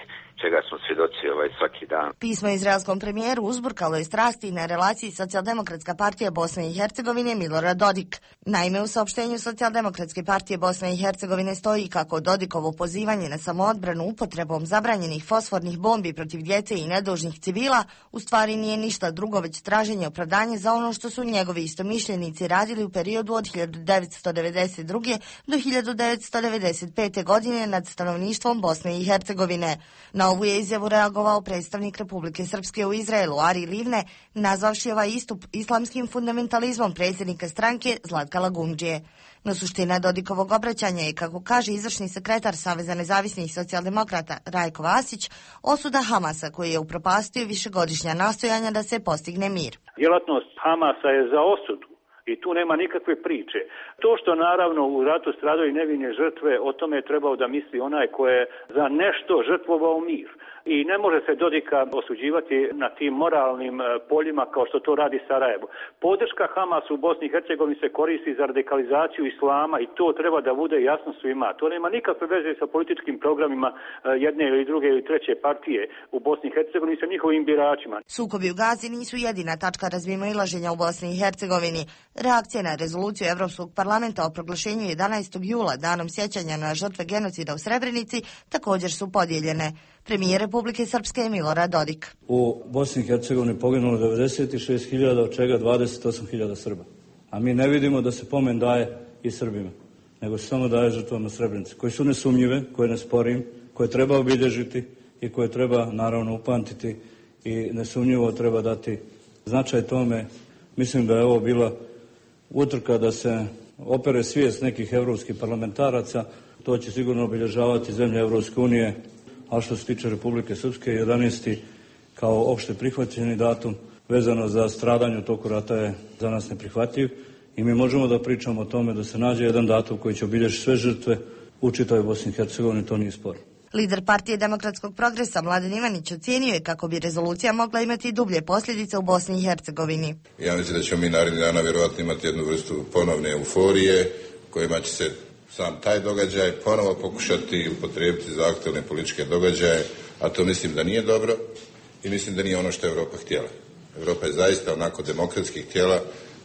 čega smo svjedoci svaki dan. Pismo izraelskom premijeru uzburkalo je strasti na relaciji Socijaldemokratska partija Bosne i Hercegovine Milorad Dodik. Naime, u saopštenju Socijaldemokratske partije Bosne i Hercegovine stoji kako Dodikovo pozivanje na samoodbranu upotrebom zabranjenih fosfornih bombi protiv djece i nedužnih civila u stvari nije ništa drugo već traženje opravdanja za ono što su njegovi istomišljenici radili u periodu od 1992. do 1995. godine nad stanovništvom Bosne i Hercegovine. Na ovu je izjavu reagovao predstavnik Republike Srpske u Izraelu, Ari Livne, nazvavši ovaj istup islamskim fundamentalizmom predsjednika stranke Zlatka Lagumdžije. No suština Dodikovog obraćanja je, kako kaže izvršni sekretar Saveza nezavisnih socijaldemokrata Rajko Vasić, osuda Hamasa koji je upropastio višegodišnja nastojanja da se postigne mir. Djelatnost Hamasa je za osudu i tu nema nikakve priče. To što naravno u ratu stradaju nevine žrtve, o tome je trebao da misli onaj ko je za nešto žrtvovao mir. I ne može se Dodika osuđivati na tim moralnim poljima kao što to radi Sarajevo. Podrška Hamasu u Bosni i Hercegovini se koristi za radikalizaciju islama i to treba da bude jasno svima. To nema nikakve veze sa političkim programima jedne ili druge ili treće partije u Bosni i Hercegovini sa njihovim biračima. Sukobi u Gazi nisu jedina tačka razmimoilaženja u Bosni i Hercegovini. Reakcije na rezoluciju Evropskog parlamenta o proglašenju 11. jula danom sjećanja na žrtve genocida u Srebrenici također su podijeljene. Premijer Republike Srpske Milorad Dodik. U Bosni i Hercegovini poginulo 96.000, od čega 28.000 Srba. A mi ne vidimo da se pomen daje i Srbima, nego se samo daje žrtvama Srebrenice, koji su nesumnjive, koje ne sporim, koje treba obilježiti i koje treba naravno upamtiti i nesumnjivo treba dati značaj tome. Mislim da je ovo bila utrka da se opere svijest nekih evropskih parlamentaraca, to će sigurno obilježavati zemlje Evropske unije. A što se tiče Republike Srpske, 11. kao opšte prihvaćeni datum vezano za stradanje u toku rata je za nas neprihvatljiv i mi možemo da pričamo o tome da se nađe jedan datum koji će obilježiti sve žrtve u čitavoj Bosni i Hercegovini, to nije spor. Lider partije Demokratskog progresa Mladen Ivanić ocijenio je kako bi rezolucija mogla imati dublje posljedice u Bosni i Hercegovini. Ja mislim da ćemo mi narednih dana vjerojatno imati jednu vrstu ponovne euforije kojima će se sam taj događaj ponovo pokušati upotrijebiti za aktualne političke događaje, a to mislim da nije dobro i mislim da nije ono što je Europa htjela. Europa je zaista onako demokratski htjela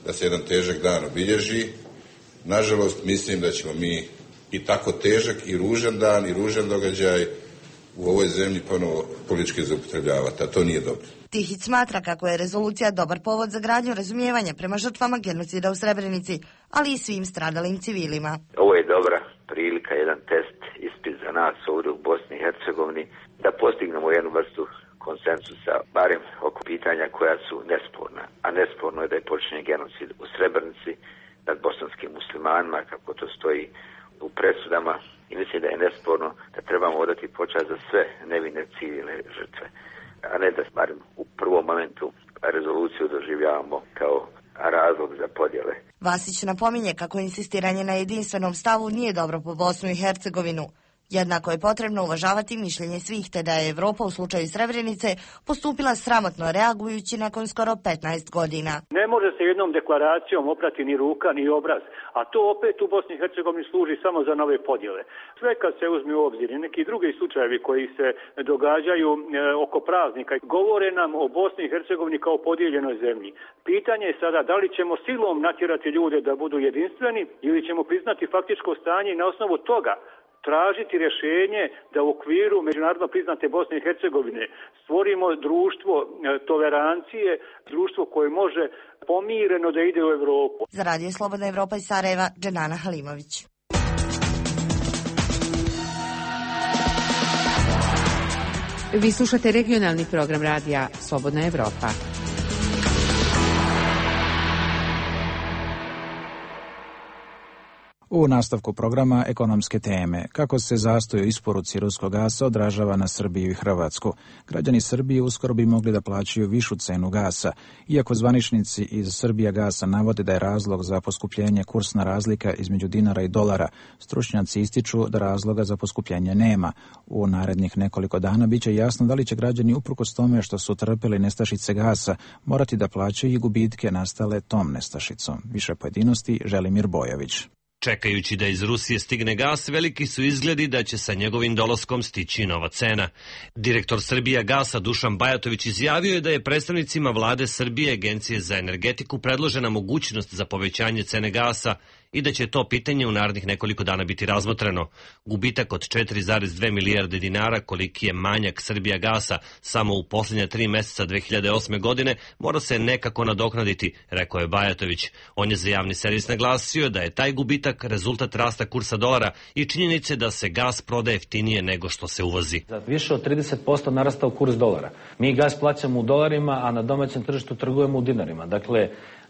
da se jedan težak dan obilježi. Nažalost, mislim da ćemo mi i tako težak i ružan dan i ružan događaj u ovoj zemlji ponovo politički zaupotrebljavati, a to nije dobro. Tihić smatra kako je rezolucija dobar povod za gradnju razumijevanja prema žrtvama genocida u Srebrenici, ali i svim stradalim civilima. Ovo je dobra prilika, jedan test, ispit za nas ovdje u Bosni i Hercegovini, da postignemo jednu vrstu konsenzusa, barem oko pitanja koja su nesporna. A nesporno je da je počinjen genocid u Srebrenici nad bosanskim muslimanima, kako to stoji u presudama, i mislim da je nesporno da trebamo odati počast za sve nevine civilne žrtve, a ne da barem u prvom momentu rezoluciju doživljavamo kao razlog za podjele. Vasić napominje kako insistiranje na jedinstvenom stavu nije dobro po Bosnu i Hercegovinu. Jednako je potrebno uvažavati mišljenje svih, te da je Evropa u slučaju Srebrenice postupila sramotno reagujući nakon skoro 15 godina. Ne može se jednom deklaracijom oprati ni ruka ni obraz, a to opet u Bosni i Hercegovini služi samo za nove podjele. Sve kad se uzme u obzir i neki drugi slučajevi koji se događaju oko praznika govore nam o Bosni i Hercegovini kao podijeljenoj zemlji. Pitanje je sada da li ćemo silom natjerati ljude da budu jedinstveni ili ćemo priznati faktičko stanje i na osnovu toga tražiti rješenje da u okviru međunarodno priznate Bosne i Hercegovine stvorimo društvo tolerancije, društvo koje može pomireno da ide u Evropu. Za Radio Slobodna Evropa iz Sarajeva, Dženana Halimović. Vi slušate regionalni program radija Slobodna Evropa. U nastavku programa ekonomske teme, kako se zastoj u isporuci ruskog gasa odražava na Srbiju i Hrvatsku. Građani Srbije uskoro bi mogli da plaćaju višu cenu gasa, iako zvaničnici iz Srbija gasa navode da je razlog za poskupljenje kursna razlika između dinara i dolara. Stručnjaci ističu da razloga za poskupljenje nema. U narednih nekoliko dana biće jasno da li će građani uprkos tome što su trpeli nestašice gasa morati da plaćaju i gubitke nastale tom nestašicom. Više pojedinosti Želimir Bojović. Čekajući da iz Rusije stigne gas, veliki su izgledi da će sa njegovim dolaskom stići nova cena. Direktor Srbija gasa Dušan Bajatović izjavio je da je predstavnicima vlade Srbije Agencije za energetiku predložena mogućnost za povećanje cene gasa i da će to pitanje u narednih nekoliko dana biti razmotreno. Gubitak od 4,2 milijarde dinara, koliki je manjak Srbija gasa samo u posljednja 3 meseca 2008. godine, mora se nekako nadoknaditi, rekao je Bajatović. On je za javni servis naglasio da je taj gubitak rezultat rasta kursa dolara i činjenice da se gas prodaje jeftinije nego što se uvozi. Za više od 30% narastao kurs dolara. Mi gas plaćamo u dolarima, a na domaćem tržištu trgujemo u dinarima. Dakle,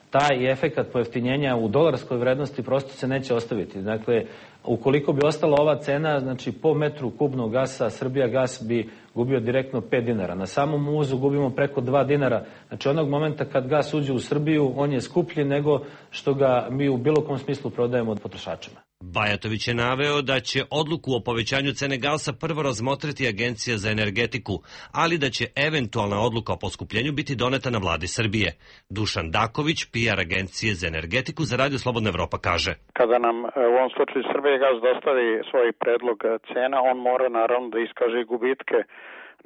taj efekat pojeftinjenja u dolarskoj vrednosti prosto se neće ostaviti. Dakle, ukoliko bi ostala ova cena, znači po metru kubnog gasa Srbija gas bi gubio direktno 5 dinara. Na samom uvozu gubimo preko 2 dinara. Znači onog momenta kad gas uđe u Srbiju, on je skuplji nego što ga mi u bilo kom smislu prodajemo od potrošačima. Bajatović je naveo da će odluku o povećanju cene gasa prvo razmotriti Agencija za energetiku, ali da će eventualna odluka o poskupljenju biti doneta na vladi Srbije. Dušan Daković, PR Agencije za energetiku za Radio Slobodna Evropa, kaže: Kada nam u ovom slučaju Srbija gas dostavi svoj predlog cena, on mora naravno da iskaže gubitke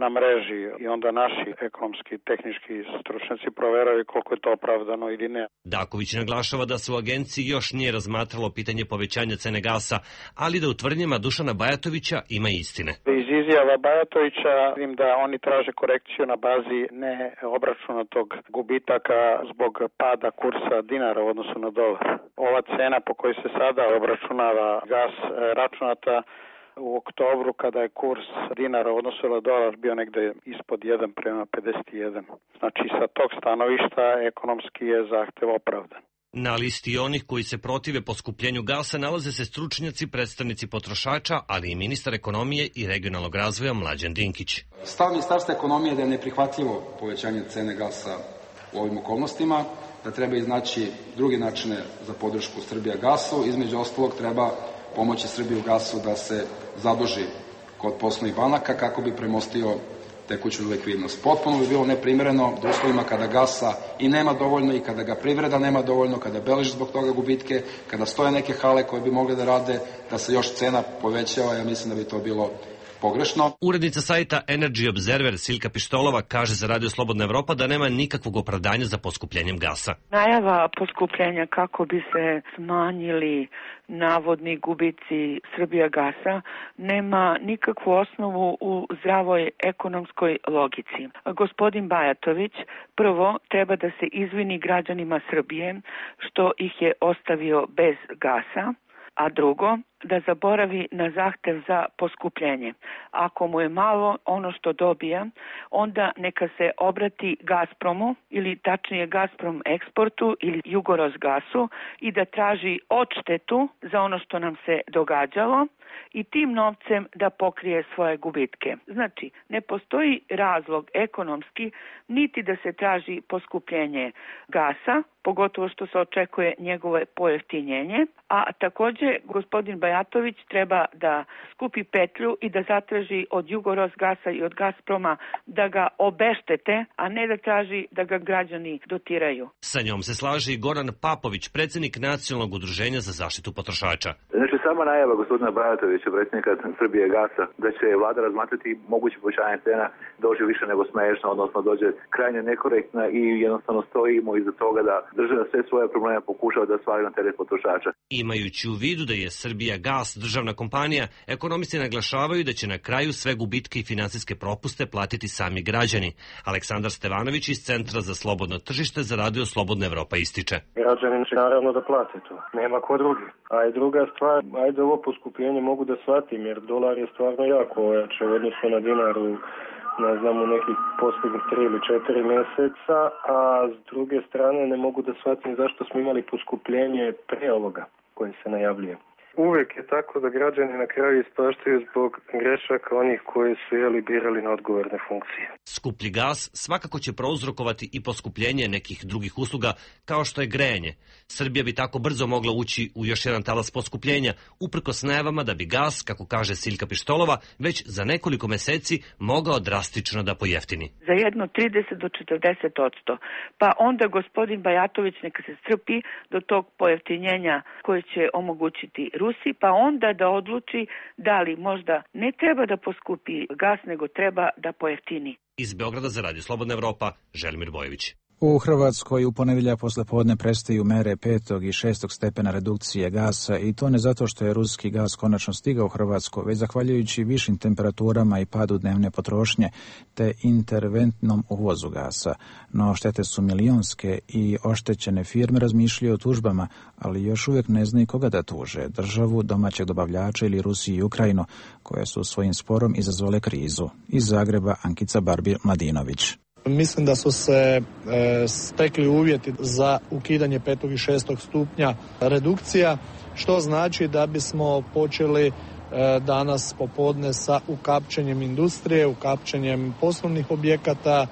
na mreži i onda naši ekonomski, tehnički stručnjaci proveraju koliko je to opravdano ili ne. Daković naglašava da se u agenciji još nije razmatralo pitanje povećanja cene gasa, ali da u tvrdnjama Dušana Bajatovića ima istine. Iz izjava Bajatovića vidim da oni traže korekciju na bazi neobračunatog gubitaka zbog pada kursa dinara u odnosu na dolar. Ova cena po kojoj se sada obračunava gas računata u oktobru, kada je kurs dinara u odnosu na dolar bio negde ispod 1:51. Znači sa tog stanovišta ekonomski je zahtev opravdan. Na listi onih koji se protive poskupljenju gasa nalaze se stručnjaci, predstavnici potrošača, ali i ministar ekonomije i regionalnog razvoja Mlađan Dinkić. Stav Ministarstva ekonomije je da je neprihvatljivo povećanje cene gasa u ovim okolnostima, da treba iznaći druge načine za podršku Srbija gasu. Između ostalog treba pomoći Srbiju gasu da se zaduži kod poslovnih banaka kako bi premostio tekuću likvidnost. Potpuno bi bilo neprimereno da uslovima kada gasa i nema dovoljno i kada ga privreda nema dovoljno, kada beleži zbog toga gubitke, kada stoje neke hale koje bi mogle da rade, da se još cena povećava. Ja mislim da bi to bilo pogrešno. Urednica sajta Energy Observer Silka Pištolova kaže za Radio Slobodna Evropa da nema nikakvog opravdanja za poskupljenjem gasa. Najava poskupljenja kako bi se smanjili navodni gubici Srbija gasa nema nikakvu osnovu u zdravoj ekonomskoj logici. Gospodin Bajatović prvo treba da se izvini građanima Srbije što ih je ostavio bez gasa, a drugo, da zaboravi na zahtev za poskupljenje. Ako mu je malo ono što dobija, onda neka se obrati Gazpromu ili tačnije Gazprom eksportu ili Jugorosgasu i da traži odštetu za ono što nam se događalo i tim novcem da pokrije svoje gubitke. Znači, ne postoji razlog ekonomski niti da se traži poskupljenje gasa, pogotovo što se očekuje njegovo pojeftinjenje, a takođe gospodin Bajatović treba da skupi petlju i da zatraži od Jugorosgasa i od Gazproma da ga obeštete, a ne da traži da ga građani dotiraju. Sa njom se slaže i Goran Papović, predsjednik Nacionalnog udruženja za zaštitu potrošača. Znači, sama najava gospodina Bajatovića, predsjednika Srbije gasa, da će vlada razmatrati moguće povećanje cena dođe više nego smešno, odnosno dođe krajnje nekorektna i jednostavno stojimo iza toga da država sve svoje probleme pokušava da svali na teret potrošača. Imajući u vidu da je Srbija gas državna kompanija, ekonomisti naglašavaju da će na kraju sve gubitke i finansijske propuste platiti sami građani. Aleksandar Stevanović iz Centra za slobodno tržište za Radio Slobodna Evropa ističe. Građani će naravno da plate to, nema ko drugi. A i druga stvar, ajde ovo poskupljenje mogu da shvatim, jer dolar je stvarno jako ojače u odnosu na dinaru, ne znam, u nekih posljednjih 3 ili 4 meseca, a s druge strane ne mogu da shvatim zašto smo imali poskupljenje pre ovoga koje se najavljuje. Uvijek je tako da građani na kraju ispaštaju zbog grešaka onih koji su birali na odgovorne funkcije. Skuplji gas svakako će prouzrokovati i poskupljenje nekih drugih usluga kao što je grejanje. Srbija bi tako brzo mogla ući u još jedan talas poskupljenja, uprkos najavama da bi gas, kako kaže Siljka Pištolova, već za nekoliko meseci mogao drastično da pojeftini. Za jedno 30 do 40%. Pa onda gospodin Bajatović neka se strpi do tog pojeftinjenja koje će omogućiti Rusiji, pa onda da odluči da li možda ne treba da poskupi gas, nego treba da pojeftini. Iz Beograda za Radio Slobodna Evropa, Želimir Bojević. U Hrvatskoj u ponedjeljak poslepodne prestaju mere 5. i 6. stepena redukcije gasa i to ne zato što je ruski gas konačno stigao u Hrvatsku, već zahvaljujući višim temperaturama i padu dnevne potrošnje te interventnom uvozu gasa. No štete su milionske i oštećene firme razmišljaju o tužbama, ali još uvijek ne znaju koga da tuže, državu, domaćeg dobavljača ili Rusiju i Ukrajinu, koje su svojim sporom izazvale krizu. Iz Zagreba Ankica Barbir-Mladinović. Mislim da su se stekli uvjeti za ukidanje 5. i 6. stupnja redukcija, što znači da bismo počeli danas popodne sa ukapčenjem industrije, ukapčenjem poslovnih objekata,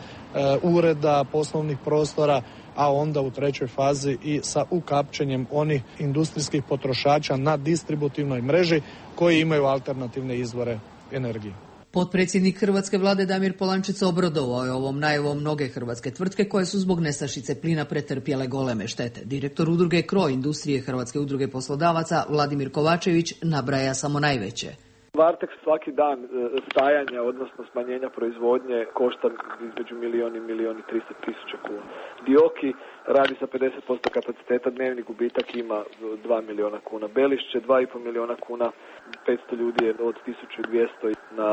ureda, poslovnih prostora, a onda u trećoj fazi i sa ukapčenjem onih industrijskih potrošača na distributivnoj mreži koji imaju alternativne izvore energije. Potpredsjednik hrvatske vlade Damir Polančec obradovao je ovom najavom mnoge hrvatske tvrtke koje su zbog nestašice plina pretrpjele goleme štete. Direktor udruge KRO industrije Hrvatske udruge poslodavaca Vladimir Kovačević nabraja samo najveće. Varteks svaki dan stajanja, odnosno smanjenja proizvodnje, košta između milijun i 1.300.000 kuna. Dioki radi sa 50% kapaciteta, dnevni gubitak ima 2 milijuna kuna. Belišće 2,5 milijuna kuna, 500 ljudi je od 1200 na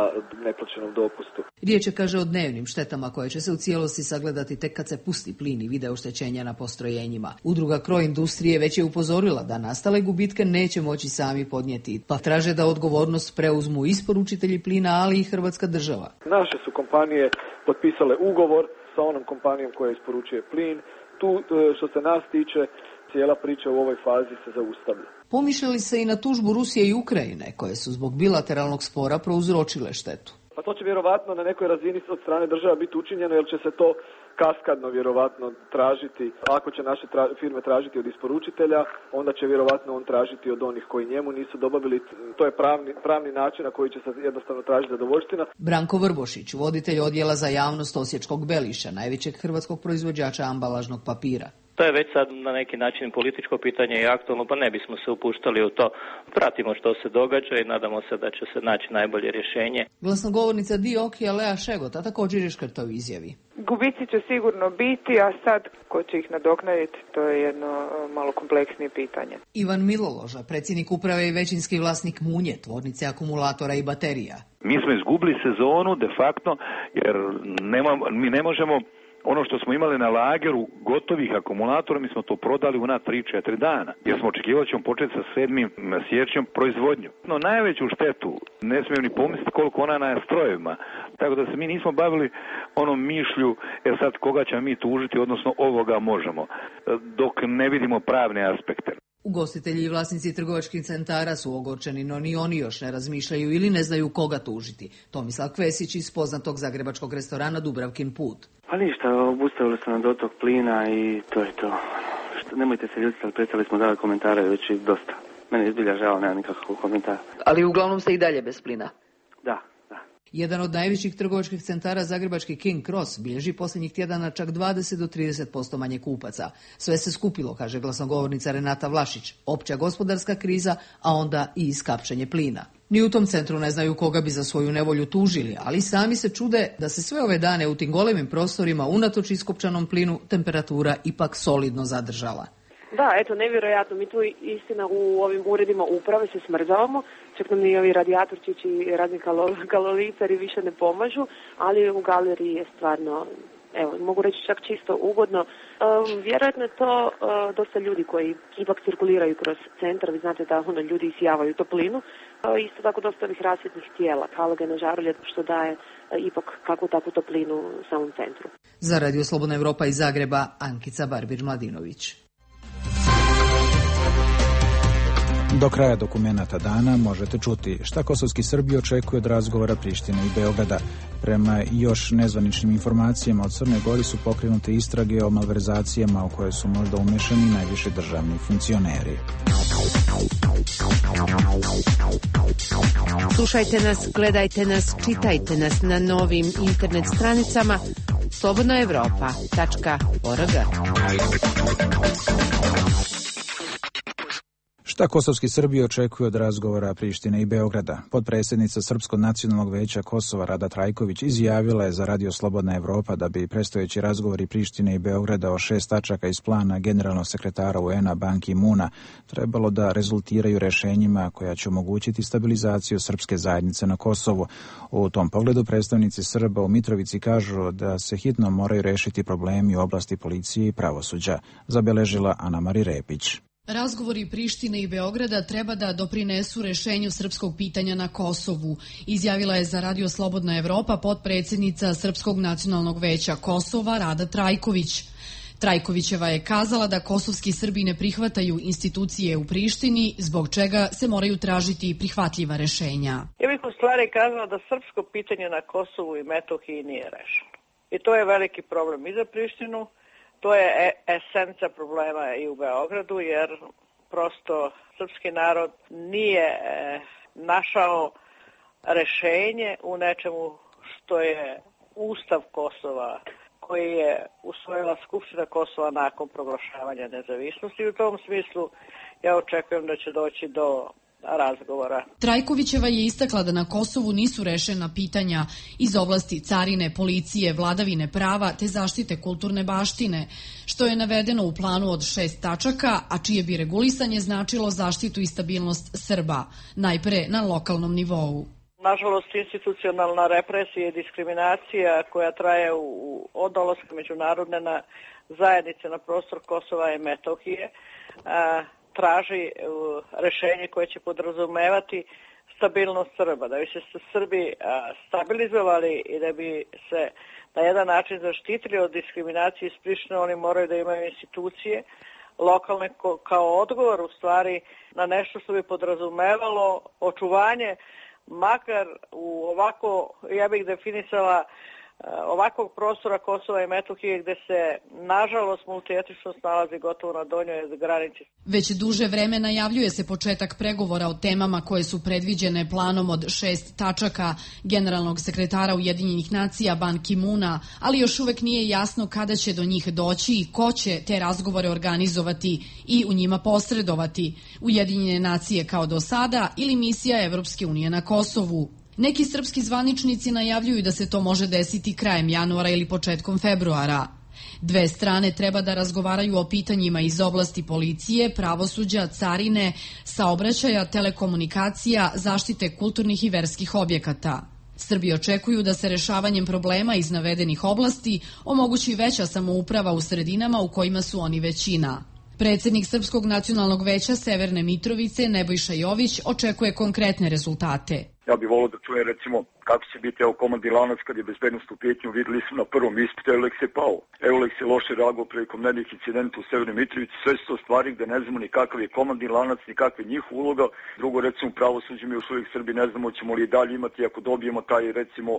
neplaćenom dopustu. Riječ je, kaže, o dnevnim štetama koje će se u cijelosti sagledati tek kad se pusti plin i vide oštećenja na postrojenjima. Udruga KRO industrije već je upozorila da nastale gubitke neće moći sami podnijeti, pa traže da odgovornost preuzmu isporučitelji plina, ali i Hrvatska država. Naše su kompanije potpisale ugovor sa onom kompanijom koja isporučuje plin. Tu, što se nas tiče, cijela priča u ovoj fazi se zaustavlja. Pomišljali se i na tužbu Rusije i Ukrajine, koje su zbog bilateralnog spora prouzročile štetu. Pa to će vjerovatno na nekoj razini od strane država biti učinjeno, jer će se to kaskadno vjerovatno tražiti. Ako će naše firme tražiti od isporučitelja, onda će vjerovatno on tražiti od onih koji njemu nisu dobavili. To je pravni način na koji će se jednostavno tražiti zadovoljština. Branko Vrbošić, voditelj odjela za javnost Osječkog Beliša, najvećeg hrvatskog proizvođača ambalažnog papira. To je već sad na neki način političko pitanje i aktualno, pa ne bismo se upuštali u to. Pratimo što se događa i nadamo se da će se naći najbolje rješenje. Glasnogovornica Diokija Lea Šegota također je škrtao u izjavi. Gubici će sigurno biti, a sad ko će ih nadoknaditi, to je jedno malo kompleksnije pitanje. Ivan Miloloža, predsjednik uprave i većinski vlasnik Munje, tvornice akumulatora i baterija. Mi smo izgubili sezonu de facto jer mi ne možemo ono što smo imali na lageru gotovih akumulatora, mi smo to prodali u na 3-4 dana. Jer smo očekivali da ćemo početi sa 7. siječnjem proizvodnju. No, najveću štetu ne smijem ni pomisliti koliko ona na strojevima. Tako da se mi nismo bavili onom mišlju, sad koga ćemo mi tužiti, odnosno ovoga možemo, dok ne vidimo pravne aspekte. Ugostitelji i vlasnici trgovačkih centara su ogorčeni, no ni oni još ne razmišljaju ili ne znaju koga tužiti. Tomislav Kvesić iz poznatog zagrebačkog restorana Dubravkin Put. Pa ništa, obustavili su nam dotok plina i to je to. Nemojte se ljutiti, ali prestali smo davati komentare već i dosta. Mene je zbilja žao, nema nikakvog komentara. Ali uglavnom ste i dalje bez plina? Da. Jedan od najvećih trgovačkih centara, zagrebački King Cross, bilježi posljednjih tjedana čak 20 do 30% manje kupaca. Sve se skupilo, kaže glasnogovornica Renata Vlašić, opća gospodarska kriza, a onda i iskapčanje plina. Ni u tom centru ne znaju koga bi za svoju nevolju tužili, ali sami se čude da se sve ove dane u tim golemim prostorima, unatoč iskopčanom plinu, temperatura ipak solidno zadržala. Da, eto, nevjerojatno. Mi tu istina u ovim uredima uprave se smrzavamo, čak nam ni ovi radijatorčići i razni kaloriferi više ne pomažu, ali u galeriji je stvarno, evo, mogu reći čak čisto ugodno. Vjerojatno je to dosta ljudi koji ipak cirkuliraju kroz centar, vi znate da ljudi isijavaju toplinu. Isto tako dosta ovih rasvjetnih tijela, halogena žarulja, što daje ipak kakvu takvu toplinu u samom centru. Za Radio Slobodna Evropa iz Zagreba, Ankica Barbir-Mladinović. Do kraja dokumenata dana možete čuti šta kosovski Srbi očekuje od razgovora Prištine i Beograda. Prema još nezvaničnim informacijama od Crne Gori su pokrenute istrage o malverzacijama u koje su možda umešani najviši državni funkcioneri. Slušajte nas, gledajte nas, čitajte nas na novim internet stranicama slobodnaevropa.org. Šta kosovski Srbi očekuju od razgovora Prištine i Beograda? Potpredsjednica Srpskog nacionalnog veća Kosova Rada Trajković izjavila je za Radio Slobodna Evropa da bi predstojeći razgovori Prištine i Beograda o 6 tačaka iz plana generalnog sekretara UN-a Ban Ki-moona trebalo da rezultiraju rešenjima koja će omogućiti stabilizaciju srpske zajednice na Kosovu. U tom pogledu predstavnici Srba u Mitrovici kažu da se hitno moraju rešiti problemi u oblasti policije i pravosuđa, zabeležila Ana Mari Repić. Razgovori Prištine i Beograda treba da doprinesu rešenju srpskog pitanja na Kosovu, izjavila je za Radio Slobodna Evropa potpredsjednica Srpskog nacionalnog veća Kosova Rada Trajković. Trajkovićeva je kazala da kosovski Srbi ne prihvataju institucije u Prištini, zbog čega se moraju tražiti prihvatljiva rešenja. Ja bih u stvari kazala da srpsko pitanje na Kosovu i Metohiji nije rešeno. I to je veliki problem i za Prištinu. To je esenca problema i u Beogradu, jer prosto srpski narod nije našao rešenje u nečemu što je Ustav Kosova, koji je usvojila Skupština Kosova nakon proglašavanja nezavisnosti. I u tom smislu ja očekujem da će doći do razgovora. Trajkovićeva je istakla da na Kosovu nisu rešena pitanja iz oblasti carine, policije, vladavine prava te zaštite kulturne baštine, što je navedeno u planu od 6 tačaka, a čije bi regulisanje značilo zaštitu i stabilnost Srba, najpre na lokalnom nivou. Nažalost, institucionalna represija i diskriminacija koja traje od dolaska međunarodne zajednice na prostor Kosova i Metohije traži rešenje koje će podrazumevati stabilnost Srba. Da bi se Srbi stabilizovali i da bi se na jedan način zaštitili od diskriminacije iz Prištine, oni moraju da imaju institucije lokalne kao odgovor u stvari na nešto što bi podrazumevalo očuvanje makar u ovako, ja bih definisala, ovakvog prostora Kosova i Metohije gde se, nažalost, multietničnost nalazi gotovo na donjoj granici. Već duže vreme najavljuje se početak pregovora o temama koje su predviđene planom od 6 tačaka generalnog sekretara Ujedinjenih nacija Ban Ki-moona, ali još uvek nije jasno kada će do njih doći i ko će te razgovore organizovati i u njima posredovati, Ujedinjene nacije kao do sada ili misija Evropske unije na Kosovu. Neki srpski zvaničnici najavljuju da se to može desiti krajem januara ili početkom februara. Dve strane treba da razgovaraju o pitanjima iz oblasti policije, pravosuđa, carine, saobraćaja, telekomunikacija, zaštite kulturnih i verskih objekata. Srbi očekuju da se rešavanjem problema iz navedenih oblasti omogući veća samouprava u sredinama u kojima su oni većina. Predsednik Srpskog nacionalnog veća Severne Mitrovice, Nebojša Jović, očekuje konkretne rezultate. Ja bih volio da čujem recimo kako će biti komandni lanac kad je bezbednost u pitanju. Videli smo na prvom ispitu, Eulex je pao. Eulex je loše reagovao prilikom nekih incidenta u Severnoj Mitrovici. Sve su to stvari gde ne znamo ni kakav je komandni lanac, ni kakva je njihova uloga. Drugo, recimo, pravosuđe mi još uvijek Srbi ne znamo ćemo li i dalje imati ako dobijemo taj, recimo,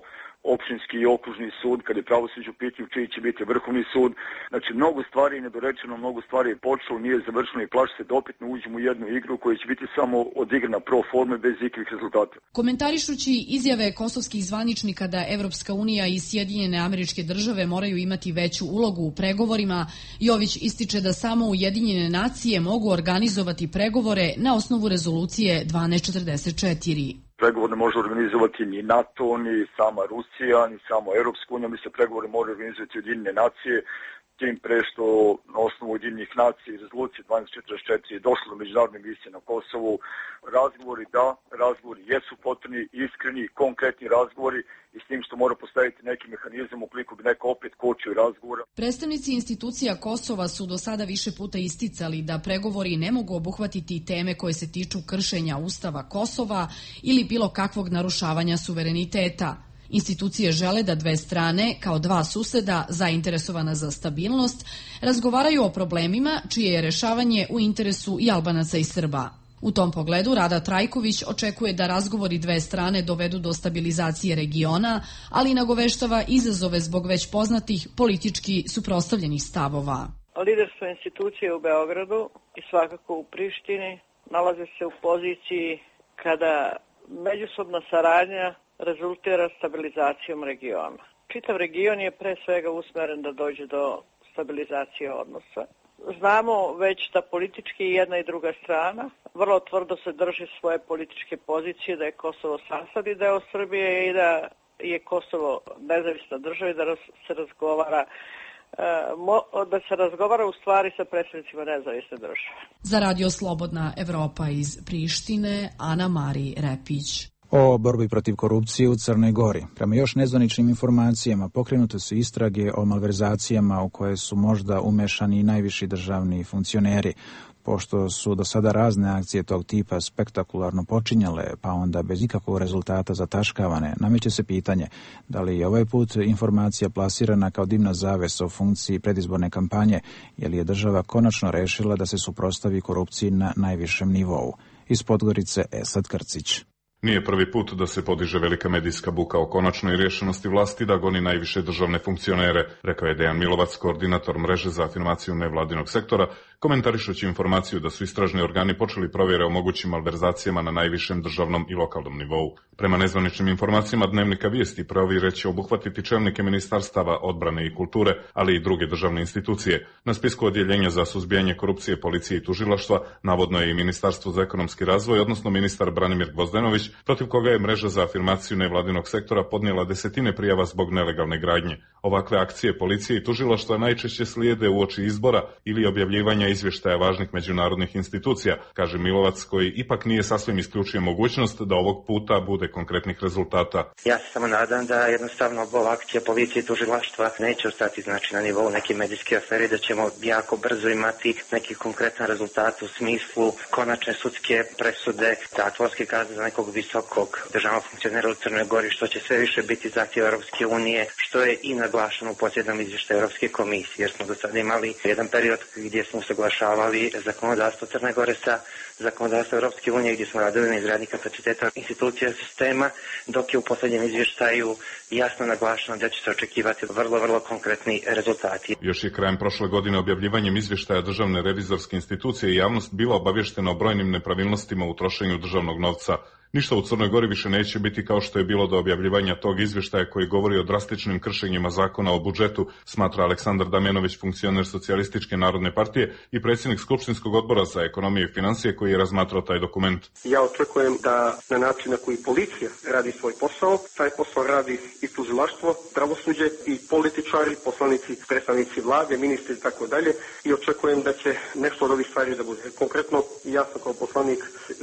opštinski i okružni sud, kad je pravosuđe u pitanju, čiji će biti vrhovni sud. Znači, mnogo stvari je nedorečeno, mnogo stvari je počelo, nije završeno i plaši se da opet ne uđemo u jednu igru koja će biti samo odigrana pro forme bez ikakvih rezultata. Komentarišući izjave kosovskih zvaničnika da Evropska unija i Sjedinjene Američke Države moraju imati veću ulogu u pregovorima, Jović ističe da samo Ujedinjene nacije mogu organizovati pregovore na osnovu rezolucije 1244. Pregovor ne može organizovati ni NATO, ni sama Rusija, ni samo Evropska unija. Mi se pregovore može organizovati Ujedinjene nacije, tim pre što na osnovu Ujedinjenih nacija i rezolucije 1244 je došlo do međunarodne misije na Kosovu. Razgovori jesu potrebni, iskreni, konkretni razgovori i s tim što mora postaviti neki mehanizam ukoliko bi neko opet kočio razgovora. Predstavnici institucija Kosova su do sada više puta isticali da pregovori ne mogu obuhvatiti teme koje se tiču kršenja Ustava Kosova ili bilo kakvog narušavanja suvereniteta. Institucije žele da dve strane, kao dva suseda zainteresovana za stabilnost, razgovaraju o problemima čije je rešavanje u interesu i Albanaca i Srba. U tom pogledu Rada Trajković očekuje da razgovori dve strane dovedu do stabilizacije regiona, ali nagoveštava izazove zbog već poznatih politički suprotstavljenih stavova. Liderstvo institucije u Beogradu i svakako u Prištini nalaze se u poziciji kada međusobna saradnja rezultira stabilizacijom regiona. Čitav region je pre svega usmeren da dođe do stabilizacije odnosa. Znamo već da politički jedna i druga strana vrlo tvrdo se drži svoje političke pozicije, da je Kosovo sastavni deo Srbije i da je Kosovo nezavisna država i da se razgovara u stvari sa predstavnicima nezavisne države. Za Radio Slobodna Evropa iz Prištine, Ana Mari Repić. O borbi protiv korupcije u Crnoj Gori. Prema još nezvaničnim informacijama pokrenute su istrage o malverzacijama u koje su možda umešani i najviši državni funkcioneri. Pošto su do sada razne akcije tog tipa spektakularno počinjale, pa onda bez ikakvog rezultata zataškavane, nameće se pitanje da li je ovaj put informacija plasirana kao dimna zavesa u funkciji predizborne kampanje, jer je država konačno rešila da se suprotstavi korupciji na najvišem nivou. Iz Podgorice Esad Krcić. Nije prvi put da se podiže velika medijska buka o konačnoj rješenosti vlasti da goni najviše državne funkcionere, rekao je Dejan Milovac, koordinator mreže za afirmaciju nevladinog sektora, komentarišući informaciju da su istražni organi počeli provjere o mogućim malverzacijama na najvišem državnom i lokalnom nivou. Prema nezvaničnim informacijama Dnevnika Vijesti, provjere će obuhvatiti čelnike ministarstava odbrane i kulture, ali i druge državne institucije. Na spisku odjeljenja za suzbijanje korupcije, policije i tužilaštva navodno je i Ministarstvo za ekonomski razvoj, odnosno ministar Branimir Gvozdenović, protiv koga je mreža za afirmaciju nevladinog sektora podnijela desetine prijava zbog nelegalne gradnje. Ovakve akcije policije i tužilaštva najčešće slijede uoči izbora ili objavljivanja izvještaja važnih međunarodnih institucija, kaže Milovac, koji ipak nije sasvim isključio mogućnost da ovog puta bude konkretnih rezultata. Ja se samo nadam da jednostavno ova akcija policije i tužilaštva neće ostati na nivou neke medijske afere, da ćemo jako brzo imati neki konkretan rezultat u smislu konačne sudske presude, zatvorske kazne za nekog visokog državnog funkcionera u Crnoj Gori, što će sve više biti zahtjev Europske unije, što je i naglašeno u posljednom izvještaju Europske komisije, jer smo do sada imali jedan period gdje smo usaglašavali zakonodavstvo Crne Gore sa zakonodavstvo Europske unije, gdje smo radili na izgradnji kapaciteta institucija sistema, dok je u posljednjem izvještaju jasno naglašeno da će se očekivati vrlo konkretni rezultati. Još je krajem prošle godine objavljivanjem izvještaja Državne revizorske institucije i javnost bila obavještena o brojnim nepravilnostima u trošenju državnog novca. Ništa u Crnoj Gori više neće biti kao što je bilo do objavljivanja tog izvještaja koji govori o drastičnim kršenjima zakona o budžetu, smatra Aleksandar Damjanović, funkcioner Socijalističke narodne partije i predsjednik Skupštinskog odbora za ekonomiju i financije koji je razmatrao taj dokument. Ja očekujem da na način na koji policija radi svoj posao, taj posao radi i tužilaštvo, pravosuđe i političari, poslanici, predstavnici vlade, ministri i tako dalje, i očekujem da će nešto od ovih stvari da bude. Konkretno, ja sam kao poslanik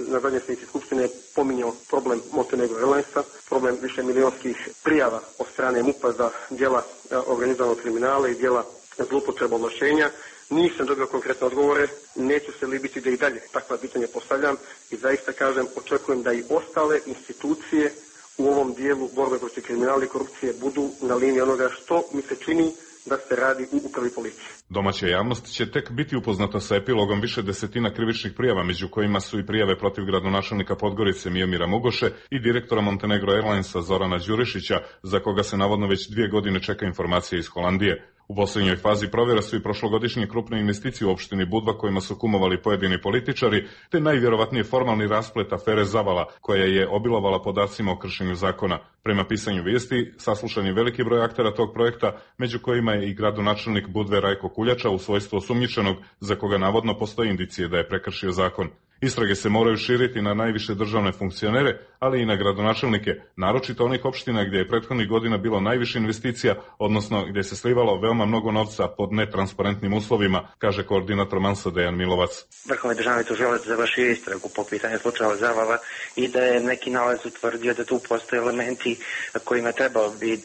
na zadnjoj sjednici Skupštine pominjao problem Montenegro Airlinesa, problem višemilionskih prijava od strane MUP-a za djela organizovanog kriminala i djela zloupotreba ovlašćenja. Nisam dobio konkretne odgovore, neću se libiti da i dalje takva pitanja postavljam i zaista kažem, očekujem da i ostale institucije u ovom dijelu borbe protiv kriminala i korupcije budu na liniji onoga što mi se čini da se radi u upravi policije. Domaća javnost će tek biti upoznata sa epilogom više desetina krivičnih prijava, među kojima su i prijave protiv gradonačelnika Podgorice Mijomira Mugoše i direktora Montenegro Airlinesa Zorana Đurišića, za koga se navodno već 2 godine čeka informacija iz Holandije. U posljednjoj fazi provjera su i prošlogodišnje krupne investicije u opštini Budva kojima su kumovali pojedini političari, te najvjerovatnije formalni rasplet afere Zavala koja je obilovala podacima o kršenju zakona. Prema pisanju vijesti, saslušan je veliki broj aktera tog projekta, među kojima je i gradonačelnik Budve Rajko Kuljača u svojstvu osumnjičenog, za koga navodno postoji indicije da je prekršio zakon. Istrage se moraju širiti na najviše državne funkcionere, ali i na gradonačelnike, naročito onih opština gdje je prethodnih godina bilo najviše investicija, odnosno gdje se slivalo veoma mnogo novca pod netransparentnim uslovima, kaže koordinator Mansa Dejan Milovac. Vrhovni državni tužilac završio istragu po pitanju slučaja Zavala i da je neki nalaz utvrdio da tu postoje elementi kojima trebao bi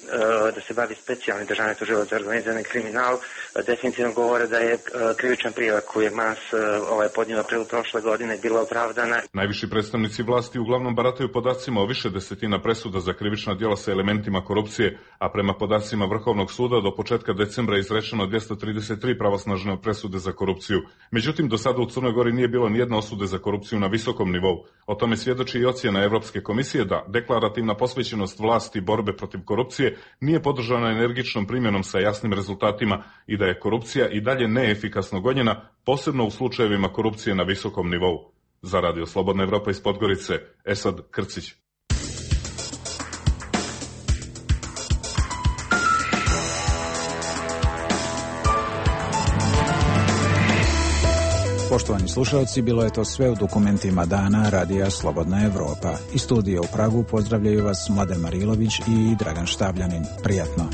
da se bavi specijalni državni tužilac za organizirani kriminal. Definitivno govore da je krivična prijava koju je Mans podnio u aprilu prošle godine bila opravdana. Najviši predstavnici vlasti uglavnom barataju podacima o više desetina presuda za krivična djela sa elementima korupcije, a prema podacima Vrhovnog suda do početka decembra je izrečeno 233 pravosnažne presude za korupciju. Međutim, do sada u Crnoj Gori nije bilo nijedna osude za korupciju na visokom nivou. O tome svjedoči i ocjena Evropske komisije da deklarativna posvećenost vlasti borbe protiv korupcije nije podržana energičnom primjenom sa jasnim rezultatima i da je korupcija i dalje neefikasno gonjena, posebno u slučajevima korupcije na visokom nivou. Za Radio Slobodna Evropa iz Podgorice, Esad Krcić. Poštovani slušalci, bilo je to sve u dokumentima dana Radija Slobodna Evropa. Iz studija u Pragu pozdravljaju vas Mladen Marilović i Dragan Štabljanin. Prijatno.